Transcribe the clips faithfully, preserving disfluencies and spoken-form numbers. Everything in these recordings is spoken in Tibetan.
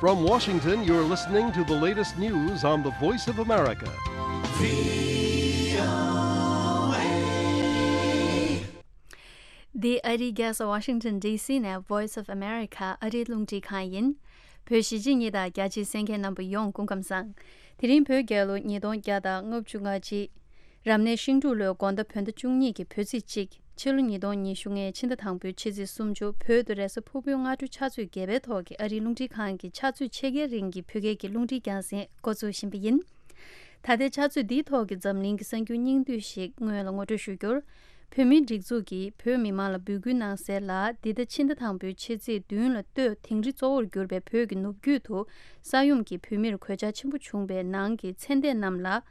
From Washington, you're listening to the latest news on the Voice of America. འདི་ཨ་རིའི་རྒྱལ་ས་Washington D C ནས་Voice of America ཨ་རིའི་རླུང་འཕྲིན་ཁང་ཡིན། བོད་གཞིས་བྱེས་གཉིས་དང་རྒྱ་ཆེའི་གསན་མཁན་རྣམ་པ་ཡོངས་སྐུ་ཁམས་བཟང་། དེ་རིང་བོད་རྒྱལ་ལོ་ཉིས་སྟོང་བརྒྱ་དང་ལྔ་བཅུ་ང་གཅིག་རབ་གནས་ཤིང་འབྲུག་ལོའི་དགོང་ཟླ་བོད་ཟླ་བཅུ་གཉིས་ཀྱི་བོད་ཚེས་གཅིག་ཕྱི་ལོ་ཉིས་སྟོང་ཉི་ཤུ་ལྔའི་ཕྱི་ཟླ་དང་པོའི་ཕྱི་ཚེས་སུམ་ཅུ། བོད་དུ་རེས་གཟའ་ཕུར་བུའི་སྔ་དྲོའི་ཕྱག་ཚོད་བརྒྱད་པའི་ཐོག་གི་ཨ་རིའི་རླུང་འཕྲིན་ཁང་གི་ཕྱག་ཚོད་ཕྱེད་ཀའི་རིང་གི་བོད་སྐད་ཀྱི་རླུང་འཕྲིན་རྒྱང་སྲིང་འགོ་འཛུགས་བཞིན་པ་ཡིན། ད་ལྟའི་ཕྱག་ཚོད་འདིའི་ཐོག་གི་འཛམ་གླིང་གི་གསར་འགྱུར་སྙིང་བསྡུས་ཤིག་སྔོན་ལ་ངོ་སྤྲོད་ཞུ་རྒྱུར། བོད་མིའི་སྒྲིག་འཛུགས་ཀྱིས་བོད་མི་མང་ལ་འབོད་སྐུལ་གནང་གསལ་ལ། འདི་ཟླ་ཕྱི་ཟླ་དང་པོའི་ཕྱི་ཚེས་བདུན་ལ་སྟོད་དིང་རི་གཙོ་བོར་གྱུར་པའི་བོད་ཀྱི་ནུབ་རྒྱུད་དུ་ས་ཡོམ་གྱིས་བོད་མིར་གོད་ཆག་ཆེན་པོ་བྱུང་བའི་ནང་གི་ཚེ་འདས་རྣམས་ལ་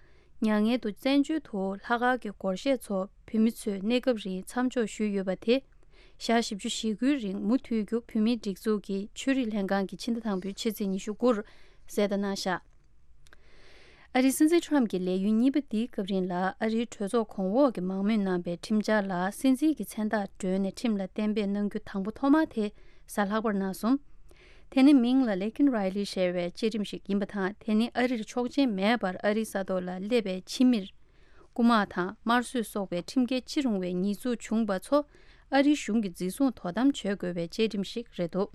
མྱ་ངན་དུ་བཙན་བྱོལ་དུ་ལྷག་དཀར་གྱི་སྒོར་གཞས་ཚོ་བོད་མི་ཚོས་གནས་སྐབས་རིང་མཚམས་འཇོག་ཞུས་ཡོད་པ་དེ། ཞག་བཞི་བཅུ་ཞེ་དགུའི་རིང་མུ་མཐུད་རྒྱུ་བོད་མིའི་སྒྲིག་འཛུགས་ཀྱི་ཆོས་རིག་ལྷན་ཁང་གིས་ཕྱི་ཟླ་དང་པོའི་ཕྱི་ཚེས་ཉི་ཤུ་དགུར་གསལ་བརྡ་གནང་བཞག་ཨ་རིའི་སྲིད་འཛིན་ཁྲོམ་གྱི་ལས་ཡུན་གཉིས་པ་འདིའི་སྐབས་རིང་ལ་ཨ་རིའི་གྲོས་ཚོགས་གོང་འོག་གི་མང་མོས་གནང་པའི་ཁྲིམས་འཆར་ལ་སྲིད་འཛིན་གྱི་མཚན་རྟགས་སྒྲོན་ནས་ཁྲིམས་ལ་གཏན་འབེབས་གནང་རྒྱུ་དང་པོ་ཐོག་མ་དེ་གཟའ་ལྷག་པར་གནང་སོང་། དེ་ནི་མིང་ལ་ལེ་ཁིན་རའི་ལི་ཞེས་པའི་བཅའ་ཁྲིམས་ཤིག་ཡིན་པ་དང་། དེ་ནི་ཨ་རིར་ཆོག་མཆན་མེད་པར་ཨ་རིའི་ས་ཐོག་ལ་སླེབས་པའི་ཕྱི་མིར། རྐུ་མ་དང་དམར་གསོད་སོགས་པའི་ཁྲིམས་འགལ་ཅི་རུང་བའི་ཉེས་འཛུགས་བྱུང་བ་ཚོ་ཨ་རིའི་གཞུང་གིས་འཛིན་བཟུང་དོ་དམ་བྱེད་དགོས་པའི་བཅའ་ཁྲིམས་ཤིག་རེད་འདུག་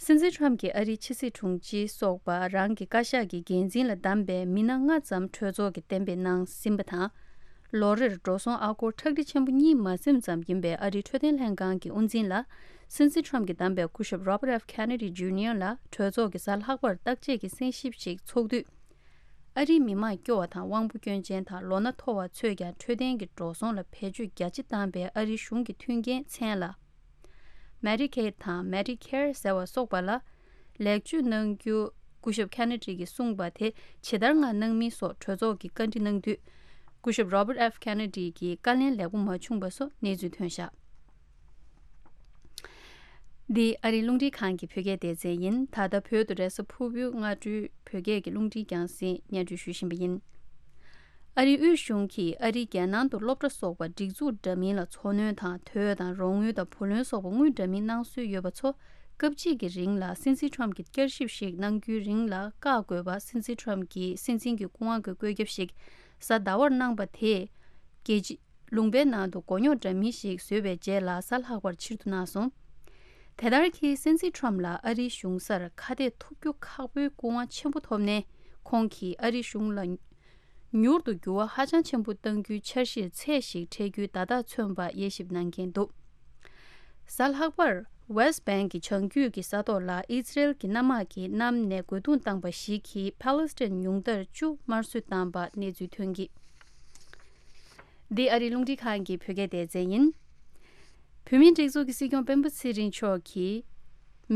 སྲིད་འཛིན་ཁྲོམ་གྱིས་ཨ་རིའི་ཕྱི་སྲིད་དྲུང་ཆེ་སོགས་པ་རང་གི་བཀའ་ཤག་གི་འགན་འཛིན་ལ་བདམས་པའི་མི་སྣ་ལྔ་ཙམ་གྲོས་ཚོགས་ཀྱིས་གཏན་འབེབས་གནང་ཟིན་པ་དང་། ལོ་རེར་འགྲོ་སོང་ཨ་སྒོར་ཁྲག་ཁྲིག་ཆེན་པོ་གཉིས་མ་ཟིན་ཙམ་ཡིན་པའི་ཨ་རིའི་འཕྲོད་བསྟེན་ལྷན་ཁང་གི་དབུ་འཛིན་ལ་སྲིད་འཛིན་ཁྲོམ་གྱིས་བདམས་པའི་སྐུ་ཞབས་Robert F Kennedy Junior ལ་གྲོས་ཚོགས་ཀྱིས་གཟའ་ལྷག་པར་བརྟག་དཔྱད་ཀྱི་གསན་ཞིབ་ཞིག་ཚོགས་དུས། ཨ་རིའི་མི་མང་སྐྱོ་བ་དང་དབང་པོ་སྐྱོན་ཅན་དང་ལོ་ན་མཐོ་བ་ཚོས་ཀྱང་འཕྲོད་བསྟེན་གྱི་འགྲོ་སོང་ལ་བེད་སྤྱོད་རྒྱ་ཆེ་བཏང་པའི་ཨ་རིའི་གཞུང་གི་མཐུན་རྐྱེན་མཚན་ལ། Medicaid དང་Medicare ཟེར་བ་སོགས་པ་ལ་ལེགས་བཅོས་གནང་རྒྱུ་སྐུ་ཞབས་Kennedy གིས་གསུངས་པ་དེ་ཇི་ལྟར་ངང་གནང་མིན་སོགས་གྲོས་ཚོགས་ཀྱིས་བཀའ་འདྲི་གནང་དུས། སྐུ་ཞབས་Robert F Kennedy གྱིས་བཀའ་ལན་ལེགས་པོ་མ་བྱུང་བ་སོགས་གནས་ཚུལ་ཐོན་བཞག་འདི་ཨ་རིའི་རླུང་འཕྲིན་ཁང་གི་བོད་སྐད་སྡེ་ཚན་ཡིན། ད་ལྟ་བོད་དུ་རེས་གཟའ་ཕུར་བུའི་སྔ་དྲོའི་བོད་སྐད་ཀྱི་རླུང་འཕྲིན་རྒྱང་སྲིང་སྙན་སྒྲོན་ཞུ་བཞིན་པ་ཡིན། ཨ་རིའི་དབུས་གཞུང་གིས་ཨ་རིའི་རྒྱལ་ནང་དུ་སློབ་གྲྭ་སོགས་པར་སྒྲིག་འཛུགས་འདྲ་མིན་ལ་འཚོ་སྣོན་དང་དོས་དང་རོགས་དངུལ་དང་བུ་ལོན་སོགས་པ་དངུལ་འདྲ་མིན་གནང་སྲོལ་ཡོད་པ་ཚོ་སྐབས་གཅིག་གི་རིང་ལ་སྲིད་འཛིན་ཁྲོམ་གྱིས་བསྐྱར་ཞིབ་ཞིག་གནང་རྒྱུའི་རིང་ལ་བཀག་དགོས་པ་སྲིད་འཛིན་ཁྲོམ་གྱིས་སྲིད་འཛིན་གྱི་སྐུ་དབང་གི་བཀོད་ཁྱབ་ཞིག་གཟའ་ཟླ་བར་གནང་པ་དེས། རྒྱལ་སྤྱི། ལུང་པའི་ནང་དུ་མགོ་རྙོག་འདྲ་མིན་ཞིག་བཟོས་པའི་རྗེས་ལ་གཟའ་ལྷག་པར་ཕྱིར་བསྡུ་གནང་སོང་། དེ་ལྟར་གྱིས་སྲིད་འཛིན་ཁྲོམ་ལ་ཨ་རིའི་གཞུང་སར་ཁ་གཏད་ཐུབ་རྒྱུ་ཁག་པོའི་སྐུ་དབང་ཆེན་པོ་ཐོབ་ནས་ཁོང་གིས་ཨ་རིའི་གཞུང་ལ་མྱུར་དུ་འགྱུར་བ་ཧ་ཅང་ཆེན་པོ་གཏང་རྒྱུའི་འཆར་གཞིར་ཚད་ཞིག་འཕྲད་རྒྱུའི་བརྡ་རྟགས་མཚོན་པ་དབྱེ་ཞིབ་གནང་མཁན་འདུག་གཟའ་ལྷག་པར་West Bank གི་བྱང་རྒྱུད་ཀྱི་ས་ཐོག་ལ་ཨི་ཛི་རལ་གྱི་གནམ་དམག་གིས་གནམ་ནས་རྒོལ་རྡུང་བཏང་པ་ཞིག་གིས་ཕཱ་ལེ་སི་ཐན་ཉུང་མཐར་བཅུ་དམར་གསོད་བཏང་པ་གནས་ཚུལ་ཐོན་གྱི། འདི་ཨ་རིའི་རླུང་འཕྲིན་ཁང་གི་བོད་སྐད་སྡེ་ཚན་ཡིན། བོད་མིའི་སྒྲིག་འཛུགས་ཀྱི་སྲིད་སྐྱོང་སྤེན་པ་ཚེ་རིང་མཆོག་གིས།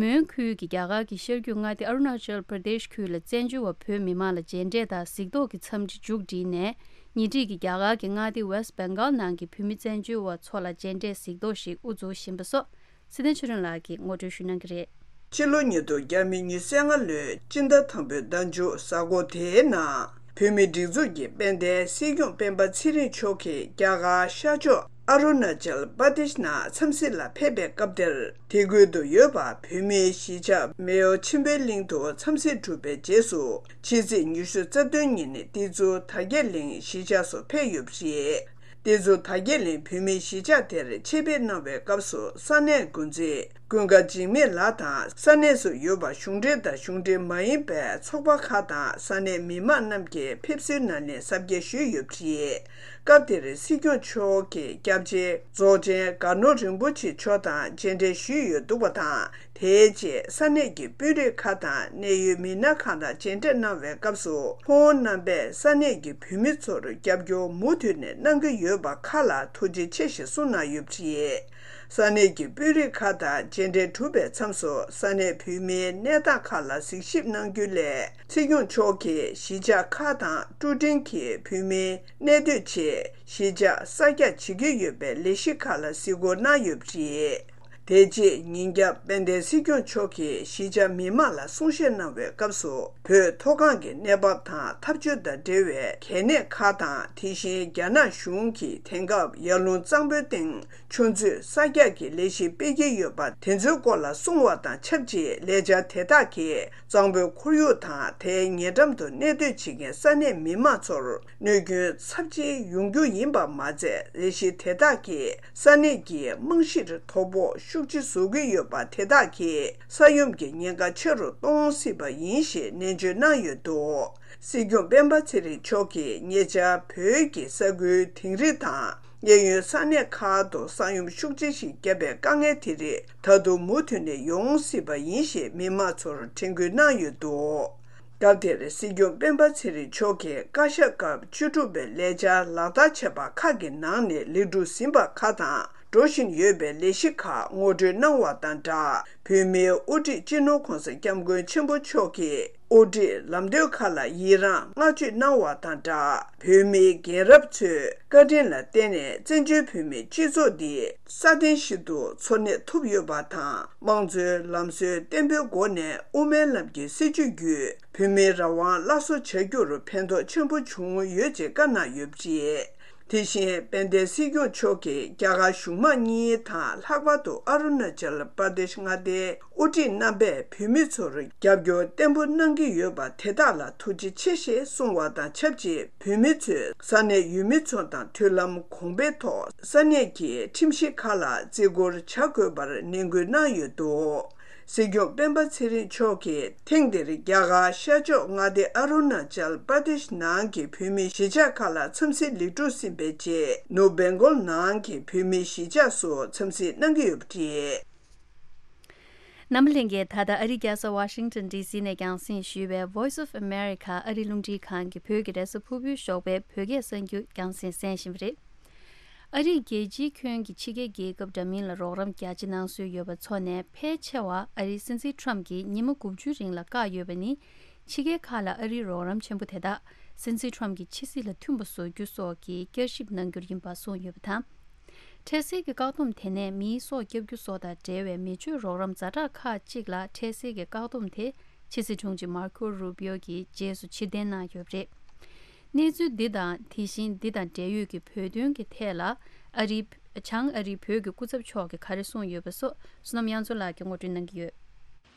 མོན་ཁུལ་གྱི་རྒྱ་གར་གྱི་ཤར་རྒྱུད་མངའ་སྡེ་ཨ་རུ་ན་ཅལ་པར་དེཤ་ཁུལ་ལ་བཙན་བྱོལ་བ་བོད་མི་མང་ལ་མཇལ་འཕྲད་དང་གཟིགས་རྟོག་གི་འཚམས་འདྲི་མཇུག་བསྒྲིལ་ནས། ཉེ་འཁྲིས་ཀྱི་རྒྱ་གར་གྱི་མངའ་སྡེ་West Bengal ནང་གི་བོད་མི་བཙན་བྱོལ་བ་ཚོ་ལ་མཇལ་འཕྲད་གཟིགས་རྟོག་ཞིག་དབུ་འཛུགས་བཞིན་པ་སོགས། ཚེ་བརྟན་ཆོས་སྒྲོན་ལགས་ཀྱིས་ངོ་སྤྲོད་ཞུ་གནང་གི་རེད། ཕྱི་ལོ་ཉིས་སྟོང་ཉི་ཤུ་རྩ་ལྔ་ལོའི་སྤྱི་ཟླ་དང་པོའི་ཟླ་མཇུག་གཟའ་འཁོར་དེའི་ནང་། བོད་མིའི་སྒྲིག་འཛུགས་ཀྱི་དཔལ་ལྡན་སྲིད་སྐྱོང་སྤེན་པ་ཚེ་རིང་མཆོག་གིས་རྒྱ་གར་ཤར་ཕྱོགས་ཨ་རུ་ན་ཅལ་པར་དེཤ་ནང་འཚམས་གཟིགས་ལ་ཕེབས་པའི་སྐབས་དེར། དེ་ཁུལ་དུ་ཡོད་པ་བོད་མིའི་གཞིས་ཆགས་མེའོ་ཆིམ་པའི་གླིང་དུ་འཚམས་གཟིགས་གྲུབ་པའི་རྗེས་སུ། ཕྱི་ཚེས་ཉི་ཤུ་རྩ་བདུན་ཉིན་ཏེ་ཛུ་དར་རྒྱས་གླིང་གཞིས་ཆགས་སུ་ཕེབས་ཡོད་པ་རེད། ཏེ་ཛུ་དར་རྒྱས་གླིང་བོད་མིའི་གཞིས་ཆགས་དེར་ཆེད་ཕེབས་གནང་བའི་སྐབས་སུ་ས་གནས་འགོ་འཛིན་ཀུན་དགའ་འཇིགས་མེད་ལགས་དང་ས་གནས་སུ་ཡོད་པ་གཞུང་འབྲེལ་དང་གཞུང་འབྲེལ་མ་ཡིན་པའི་ཚོགས་པ་ཁག་དང་ས་གནས་མི་མང་རྣམས་ཀྱིས་ཕེབས་བསུའི་སྣེ་ལེན་གཟབ་རྒྱས་ཞུས་ཡོད་པ་རེད། སྐབས་དེར་སྲིད་སྐྱོང་མཆོག་གི་སྐྱབས་ཆེན་རྫོགས་ཆེན་དགའ་ནོར་རིན་པོ་ཆེ་མཆོག་དང་མཇལ་འཕྲད་ཞུས་ཡོད་འདུག་པ་དང་། དེའི་རྗེས་ས་གནས་ཀྱི་དཔོན་རིགས་ཁག་དང་གནད་ཡོད་མི་སྣ་ཁག་དང་མཇལ་འཕྲད་གནང་བའི་སྐབས་སུ་ཁོང་རྣམ་པས་ས་གནས་ཀྱི་བོད་མི་ཚོར་རྒྱབ་སྐྱོར་མུ་མཐུད་ནས་གནང་གི་ཡོད་པ་ཁག་ལ་ཐུགས་རྗེ་ཆེ་ཞེས་གསུངས་གནང་ཡོད་པ་རེད། ས་གནས་ཀྱི་དཔོན་རིགས་ཁག་དང་མཇལ་འཕྲད་གྲུབ་པའི་མཚམས་སུ་ས་གནས་བོད་མིའི་གནས་སྟངས་ཁག་ལ་གཟིགས་ཞིབ་གནང་རྒྱུ་ལས། སྲིད་སྐྱོང་མཆོག་གིས་གཞིས་ཆགས་ཁག་དང་ཀྲུའུ་ཀྲིན་གྱི་བོད་མིའི་གནས་སྡོད་ཆེད་གཞིས་ཆགས་གསར་རྒྱག་བྱེད་ཀྱི་ཡོད་པའི་ལས་གཞི་ཁག་ལ་གཟིགས་སྐོར་གནང་ཡོད་པ་རེད། དེ་རྗེས་ཉིན་རྒྱབ་དཔལ་ལྡན་སྲིད་སྐྱོང་མཆོག་གིས་གཞིས་ཆགས་མི་མང་ལ་གསུང་བཤད་གནང་བའི་སྐབས་སུ། བོད་མཐོ་སྒང་གི་གནས་བབ་དང་འཐབ་ཇུས་དང་འབྲེལ་བའི་གལ་གནད་ཁག་དང་། དེ་བཞིན་རྒྱ་ནག་གཞུང་གིས་དེང་སྐབས་ཡར་ཀླུང་གཙང་པོའི་སྟེང་ཆུ་མཛོད་གསར་རྒྱག་གི་ལས་གཞི་སྤེལ་གྱི་ཡོད་པ། དེ་ཚོའི་སྐོར་ལ་གསུང་བ་དང་ཆབས་ཅིག་ལས་འཆར་དེ་དག་གིས་གཙང་པོའི་ཁོར་ཡུག་དང་། དེའི་ཉེ་འགྲམ་དུ་གནས་སྡོད་བྱེད་མཁན་ས་གནས་མི་མང་ཚོར་གནོད་སྐྱོན་ཚབས་ཆེ་ཡོང་རྒྱུ་ཡིན་པ་མ་ཚད། ལས་གཞི་དེ་དག་གིས་ས་གནས་ཀྱི་རྨང་གཞིར་དོ་ཕོག་ཤུགས་ཆེ་བཟོ་གི་ཡོད་པ། དེ་དག་གིས་ས་ཡོམ་གྱི་ཉེན་ཁ་ཆེ་རུ་གཏོང་སྲིད་པ་ཡིན་ཞེས་ནན་བརྗོད་གནང་ཡོད་འདུག་སྲིད་སྐྱོང་སྤེན་པ་ཚེ་རིང་མཆོག་གིས་ཉེ་ཆར་བོད་ཀྱི་ས་ཁུལ་དིང་རི་དང་། གཡས་གཡོན་ས་གནས་ཁག་ཏུ་ས་ཡོམ་ཤུགས་ཆེ་ཞིག་བརྒྱབ་པའི་དཀའ་ངལ་དེ་རིགས་ད་དུང་མུ་མཐུད་ནས་ཡོང་སྲིད་པ་ཡིན་ཞེས་མི་མང་ཚོར་དྲན་སྐུལ་གནང་ཡོད་འདུག་སྐབས་དེར་སྲིད་སྐྱོང་སྤེན་པ་ཚེ་རིང་མཆོག་གིས་བཀའ་ཤག་སྐབས་བཅུ་དྲུག་པའི་ལས་འཆར་ལག་བསྟར་བྱས་པ་ཁག་གི་ནང་ནས་ལེགས་གྲུབ་ཟིན་པ་ཁག་དང་། འགྲོ་བཞིན་ཡོད་པའི་ལས་གཞི་ཁག་ངོ་སྤྲོད་གནང་བ་དང་སྦྲགས། བོད་མིའི་དབུ་ཁྲིད་སྤྱི་ནོར་༧གོང་ས་༧སྐྱབས་མགོན་ཆེན་པོ་མཆོག་གིས་དབུ་ཁྲིད་ལམ་སྟོན་ཁག་ལ་ཡི་རངས་བསྔགས་བརྗོད་གནང་བ་དང་སྦྲགས། བོད་མིའི་རྒན་རབས་ཚོས་བཀའ་དྲིན་ལ་བརྟེན་ནས་བཙན་བྱོལ་བོད་མིའི་སྤྱི་ཚོགས་འདི་སྲ་བརྟན་ཞིག་ཏུ་འཚོ་གནས་ཐུབ་ཡོད་པ་དང་། དམངས་གཙོའི་ལམ་སྲོལ་བརྟན་པོའི་སྒོ་ནས་དབུ་མའི་ལམ་གྱི་སྲིད་བྱུས་བརྒྱུད་བོད་མིའི་རང་དབང་སླར་གསོ་བྱ་རྒྱུར་ཕན་ཐོགས་ཆེན་པོ་བྱུང་ཡོད་ཅེས་བཀའ་གནང་ཡོད་པ་རེད། དེ་བཞིན་དཔལ་ལྡན་སྲིད་སྐྱོང་མཆོག་གིས་རྒྱ་གར་གཞུང་མང་གཉིས་དང་། ལྷག་པར་དུ་ཨ་རུ་ན་ཅལ་པར་དེཤ་མངའ་སྡེའི་དབུ་ཁྲིད་རྣམ་པས་བོད་མི་ཚོར་རྒྱབ་སྐྱོར་བརྟན་པོ་གནང་གི་ཡོད་པ་དེ་དག་ལ་ཐུགས་རྗེ་ཆེ་ཞེས་གསུངས་བ་དང་ཆབས་ཅིག་བོད་མི་ཚོས་ས་གནས་ཡུལ་མི་ཚོ་དང་མཐུན་ལམ་གོང་འཕེལ་ཐོག་ས་གནས་ཀྱི་ཁྲིམས་གཞི་ཁག་ལ་བརྩི་བཀུར་བྱ་དགོས་པར་ནན་སྐུལ་གནང་ཡོད་འདུག་སྲིད་སྐྱོང་སྤེན་པ་ཚེ་རིང་མཆོག་གིས་ཐེངས་འདིར་རྒྱ་གར་ཤར་ཕྱོགས་མངའ་སྡེ་ཨ་རུ་ན་ཅལ་པར་དེཤ་ནང་གི་བོད་མིའི་གཞིས་ཆགས་ཁག་ལ་འཚམས་གཟིགས་ལེགས་གྲུབ་ཟིན་པའི་རྗེས། ནུབ་བེང་གོལ་ནང་གི་བོད་མིའི་གཞིས་ཆགས་སུ་འཚམས་གཟིགས་གནང་གི་ཡོད་པ་རེད། རྣམ་པ་ལྷན་རྒྱས། ད་ལྟ་ཨ་རིའི་རྒྱལ་ས་ཝ་ཤིང་ཊོན་ཌི་སི་ནས་རྒྱང་སྲིང་ཞུས་པའི་Voice of America ཨ་རིའི་རླུང་འཕྲིན་ཁང་གི་བོད་ཀྱི་རེས་གཟའ་ཕུར་བུའི་ཞོགས་པའི་བོད་སྐད་གསར་འགྱུར་རྒྱང་སྲིང་གསན་བཞིན་པ་རེད། ཨ་རིས་རྒྱལ་སྤྱིའི་ཁྱོན་གྱི་ཕྱི་རྒྱལ་རྒྱལ་ཁབ་འདྲ་མིན་ལ་རོགས་རམ་རྒྱ་ཆེ་གནང་སྲོལ་ཡོད་པ་ཚོ་ནས་ཕལ་ཆེ་བ་ཨ་རིའི་སྲིད་འཛིན་ཊམ་གྱིས་ཉི་མ་དགུ་བཅུའི་རིང་ལ་བཀག་ཡོད་པ་ནི། ཕྱི་རྒྱལ་ཁག་ལ་ཨ་རིའི་རོགས་རམ་ཆེན་པོ་དེ་དག་སྲིད་འཛིན་ཊམ་གྱི་ཕྱི་སྲིད་ལ་མཐུན་པ་བཟོ་རྒྱུ་སོགས་ཀྱི་བསྐྱར་ཞིབ་གནང་རྒྱུར་ཡིན་པ་གསུངས་ཡོད་པ་དང་། འཕྲལ་སེལ་གྱི་བཀག་སྡོམ་དེ་ནས་མིའི་སྲོག་བསྐྱབ་རྒྱུ་སོགས་དང་འབྲེལ་བའི་མི་ཆོས་རོགས་རམ་ཛ་དྲག་ཁག་ཅིག་ལ་འཕྲལ་སེལ་གྱི་བཀག་སྡོམ་དེ་ཕྱི་སྲིད་དྲུང་ཆེ་མར་ཁོ་རུ་པིའོ་གིས་རྗེས་སུ་ཕྱིར་འཐེན་གནང་ཡོད་པ་རེད། གནས་ཚུལ་འདི་དང་དེ་བཞིན་འདི་དང་འབྲེལ་ཡོད་ཀྱི་བོད་དོན་གྱི་ཐད་ལ་ཨ་རིའི་བྱང་ཨ་རིའི་བོད་ཀྱི་སྐུ་ཚབ་མཆོག་གིས་ག་རེ་གསུངས་ཡོད་པ་སོགས་བསོད་ནམས་དབྱངས་མཚོ་ལགས་ཀྱིས་ངོ་སྤྲོད་གནང་གི་ཡོད།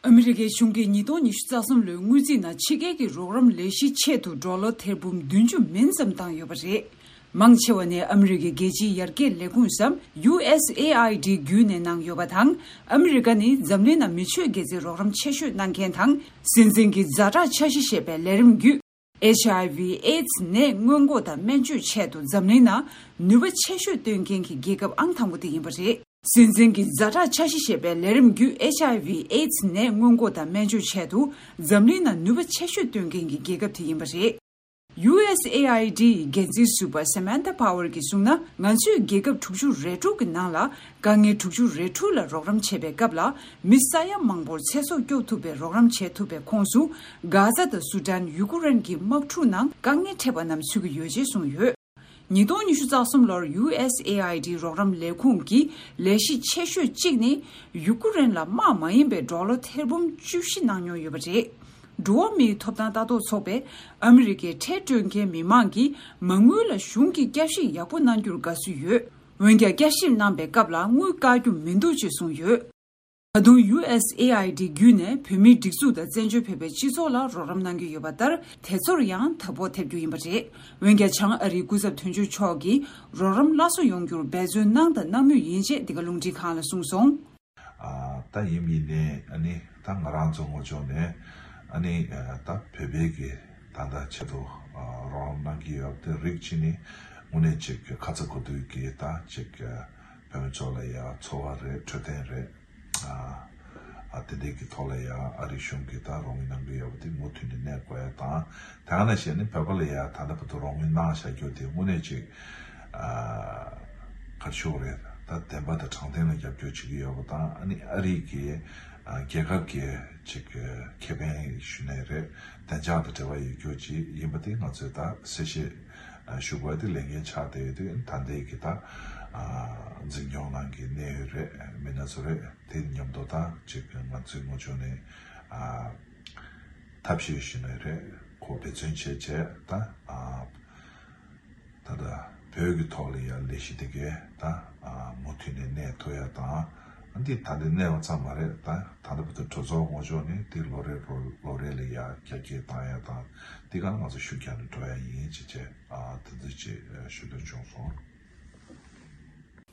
ཨ་མི་རི་ཀའི་གཞུང་གིས་ཉིས་སྟོང་ཉི་ཤུ་རྩ་གསུམ་ལོའི་དངུལ་རྩིས་ནང་ཕྱི་རྒྱལ་གྱི་རོགས་རམ་ལས་གཞིའི་ཆེད་དུ་ཌོ་ལར་ཐེར་འབུམ་བདུན་ཅུ་མིན་ཙམ་བཏང་ཡོད་པ་རེད། མང་ཆེ་བ་ནི་ཨ་མི་རི་ཀའི་རྒྱལ་སྤྱིའི་ཡར་རྒྱས་ལས་ཁུངས་སམ་ཡུ་ཨེས་ཨེ་ཨའི་ཌི་བརྒྱུད་ནས་གནང་ཡོད་པ་དང་། ཨ་མི་རི་ཀ་ནི་འཛམ་གླིང་ནང་མི་ཆོས་དགེ་རྩའི་རོགས་རམ་ཆེ་ཤོས་གནང་མཁན་དང་། སྲིད་འཛིན་གྱི་ཛ་དྲག་འཆར་གཞི་ཞེས་པའི་ལས་རིམ་བརྒྱུད། ཨེཆ་ཨའི་ཝི་ཨེ་ཌི་སི་ནད་སྔོན་འགོག་དང་སྨན་བཅོས་ཆེད་དུ་འཛམ་གླིང་ནང་ནུས་པ་ཆེ་ཤོས་བཏོན་མཁན་གྱི་རྒྱལ་ཁབ་ཨང་དང་པོ་དེ་ཡིན་པ་རེད། སྲིད་འཛིན་གྱི་ཛ་དྲག་འཆར་གཞི་ཞེས་པའི་ལས་རིམ་བརྒྱུད། ཨེཆ་ཨའི་ཝི་ཨེ་ཌི་སི་ནད་སྔོན་འགོག་དང་སྨན་བཅོས་ཆེད་དུ་འཛམ་གླིང་ནང་ནུས་པ་ཆེ་ཤོས་བཏོན་མཁན་གྱི་རྒྱལ་ཁབ་དེ་ཡིན་པ་རེད། ཡུ་ཨེས་ཨེ་ཨའི་ཌི་ཡི་འགན་འཛིན་ཟུར་པ་སེ་མན་ཐ་པ་ཝར་གྱིས་གསུངས་ན། ང་ཚོས་རྒྱལ་ཁབ་དྲུག་ཅུ་རེ་དྲུག་གི་ནང་ལ་དཀའ་ངལ་དྲུག་ཅུ་རེ་དྲུག་ལ་རོགས་རམ་བྱེད་པའི་སྐབས་ལ། མི་ས་ཡ་མང་པོར་ཚེ་སྲོག་སྐྱོབ་ཐུབ་པའི་རོགས་རམ་བྱེད་ཐུབ་པའི་ཁོངས་སུ། གྷ་ཛ་དང་སུ་ཌན། ཡུ་ཀུ་རེན་གྱི་དམག་འཁྲུག་ནང་དཀའ་ངལ་འཕྲད་པ་རྣམས་ཚུད་ཀྱི་ཡོད་ཅེས་གསུངས་ཡོད། ཉིས་སྟོང་ཉི་ཤུ་རྩ་གསུམ་ལོར་ཡུ་ཨེས་ཨེ་ཨའི་ཌི་རོགས་རམ་ལས་ཁུངས་ཀྱི་ལས་གཞི་ཆེ་ཤོས་གཅིག་ནི། ཡུ་ཀུ་རེན་ལ་དམག་མ་ཡིན་པའི་ཌོ་ལར་ཐེར་འབུམ་བཅུ་བཞི་གནང་མྱོང་ཡོད་པ་རེད། འགྲོ་བ་མིའི་ཐོབ་ཐང་ལྟ་རྟོག་ཚོགས་པས་ཨ་མི་རི་ཀའི་ཁྲལ་སྤྲོད་མཁན་མི་མང་གིས་མ་དངུལ་ལ་གཞུང་གིས་བསྐྱར་ཞིབ་ཡག་པོ་གནང་རྒྱུར་དགའ་བསུ་ཡོད། འོན་ཀྱང་། བསྐྱར་ཞིབ་གནང་པའི་སྐབས་ལ་དངུལ་བཀག་རྒྱུ་མི་འདུག་ཅེས་གསུངས་ཡོད། ད་དུང་ཡུ་ཨེས་ཨེ་ཨའི་ཌི་བརྒྱུད་ནས་བོད་མིའི་སྒྲིག་འཛུགས་དང་བཙན་བྱོལ་བོད་པའི་སྤྱི་ཚོགས་ལ་རོགས་རམ་གནང་གི་ཡོད་པ་ལྟར། དེ་ཚོར་ཡང་དོ་ཕོག་ཐེབས་རྒྱུ་ཡིན་པ་རེད། འོན་ཀྱང་། བྱང་ཨ་རིའི་སྐུ་ཚབ་དོན་གཅོད་མཆོག་གིས་རོགས་རམ་སླར་གསོ་ཡོང་རྒྱུར་འབད་བརྩོན་གནང་དང་གནང་མུས་ཡིན་ཅེས་འདི་ག་རླུང་འཕྲིན་ཁང་ལ་གསུངས་སོང་། ཨ། ད་ཡིན་མིན་ནས་ཨ་ནི་ད་ང་རང་ཚོ་ངོས་ཕྱོགས་ནས་ཨ་ནི་ད་བོད་པའི་གི་ད་ལྟ་ཆེད་དུ་རོགས་རམ་གནང་གི་ཡོད་པ་དེ་རིགས་གཅིག་ནི་དངོས་གནས་ཅིག་ཁ་ཚ་དགོས་གཏུགས་ཀྱི་ད་ཅིག་བོད་མི་ཚོ་ལ་ཡ་འཚོ་བ་རེད། འཕྲོད་བསྟེན་རེད། ཨ། ཨ། དེ་འདྲའི་གི་ཐོག་ལ་ཡ་ཨ་རི་གཞུང་གིས་ད་རོགས་དངུལ་གནང་གི་ཡོད་པ་དེ་མུ་མཐུད་ནས་གནས་དགོས་ཡ་དང་། དེ་ག་ནང་བཞིན་ནི་བོད་པ་ལ་ཡ་ད་ལྟ་བར་དུ་རོགས་དངུལ་གནང་བཞག་རྒྱུ་དེ་དངོས་གནས་ཅིག་ཨ། ག་རེ་ཞུ་དགོས་རེད། ད་བདེན་པ་དང་དྲང་བདེན་ལ་རྒྱབ་སྐྱོར་བྱེད་ཀྱི་ཡོད་པ་དང་། ཨ་ནི་ཨ་རི་གི་ཨ། རྒྱལ་ཁབ་ཀྱི་ཅིག་ཁེ་ཕན་ཞུ་ནའི་རེད། བདེ་འཇགས་དང་འབྲེལ་བ་ཡོད་རྒྱུ་ཅིག་ཡིན་པ་དེ་ང་ཚོས་ད་གསལ་བཤད་ ཞུ་དགོས་དེ་ལས་འགན་ཆགས་བསྡད་ཡོད་དུས། ད་ལྟའི་གི་ད་འཛིན་སྐྱོང་ནང་གི་གནད་ཡོད་རེད། མི་སྣ་ཚོ་རེད། དེ་མཉམ་དུ་ད་ཅིག་ང་ཚོའི་ངོ་ཕྱོགས་ནས་ཐབས་ཤེས་ཞུ་ནི་རེད། ཁོ་འབད་བརྩོན་བྱས་བྱས་ད། ད་ལྟ་བོད་ཀྱི་ཐོག་ལ་ཡང་ལས་གཞི་དེ་གས་ད་མུ་མཐུད་ནས་གནས་ཐུབ་ཡ་དང་། འདི་ད་ལྟ་གནས་པ་ཙམ་མ་རེད། ད་ད་ལྟ་བར་དུ་གྲོས་ཚོགས་ངོ་ཕྱོགས་ནས་དེ་ལོ་རེ་ལོ་ལོ་རེ་ལ་ཡང་རྒྱ་སྐྱེད་བཏང་ཡ་དང་། འདི་ག་ང་ཚོ་ཤུགས་རྒྱག་ནས་འགྲོ་ཡ་ཡིན་ཅེས་བྱས། དེ་ཚོ་ཅིག་ཞུ་འདོད་བྱུང་སོང་།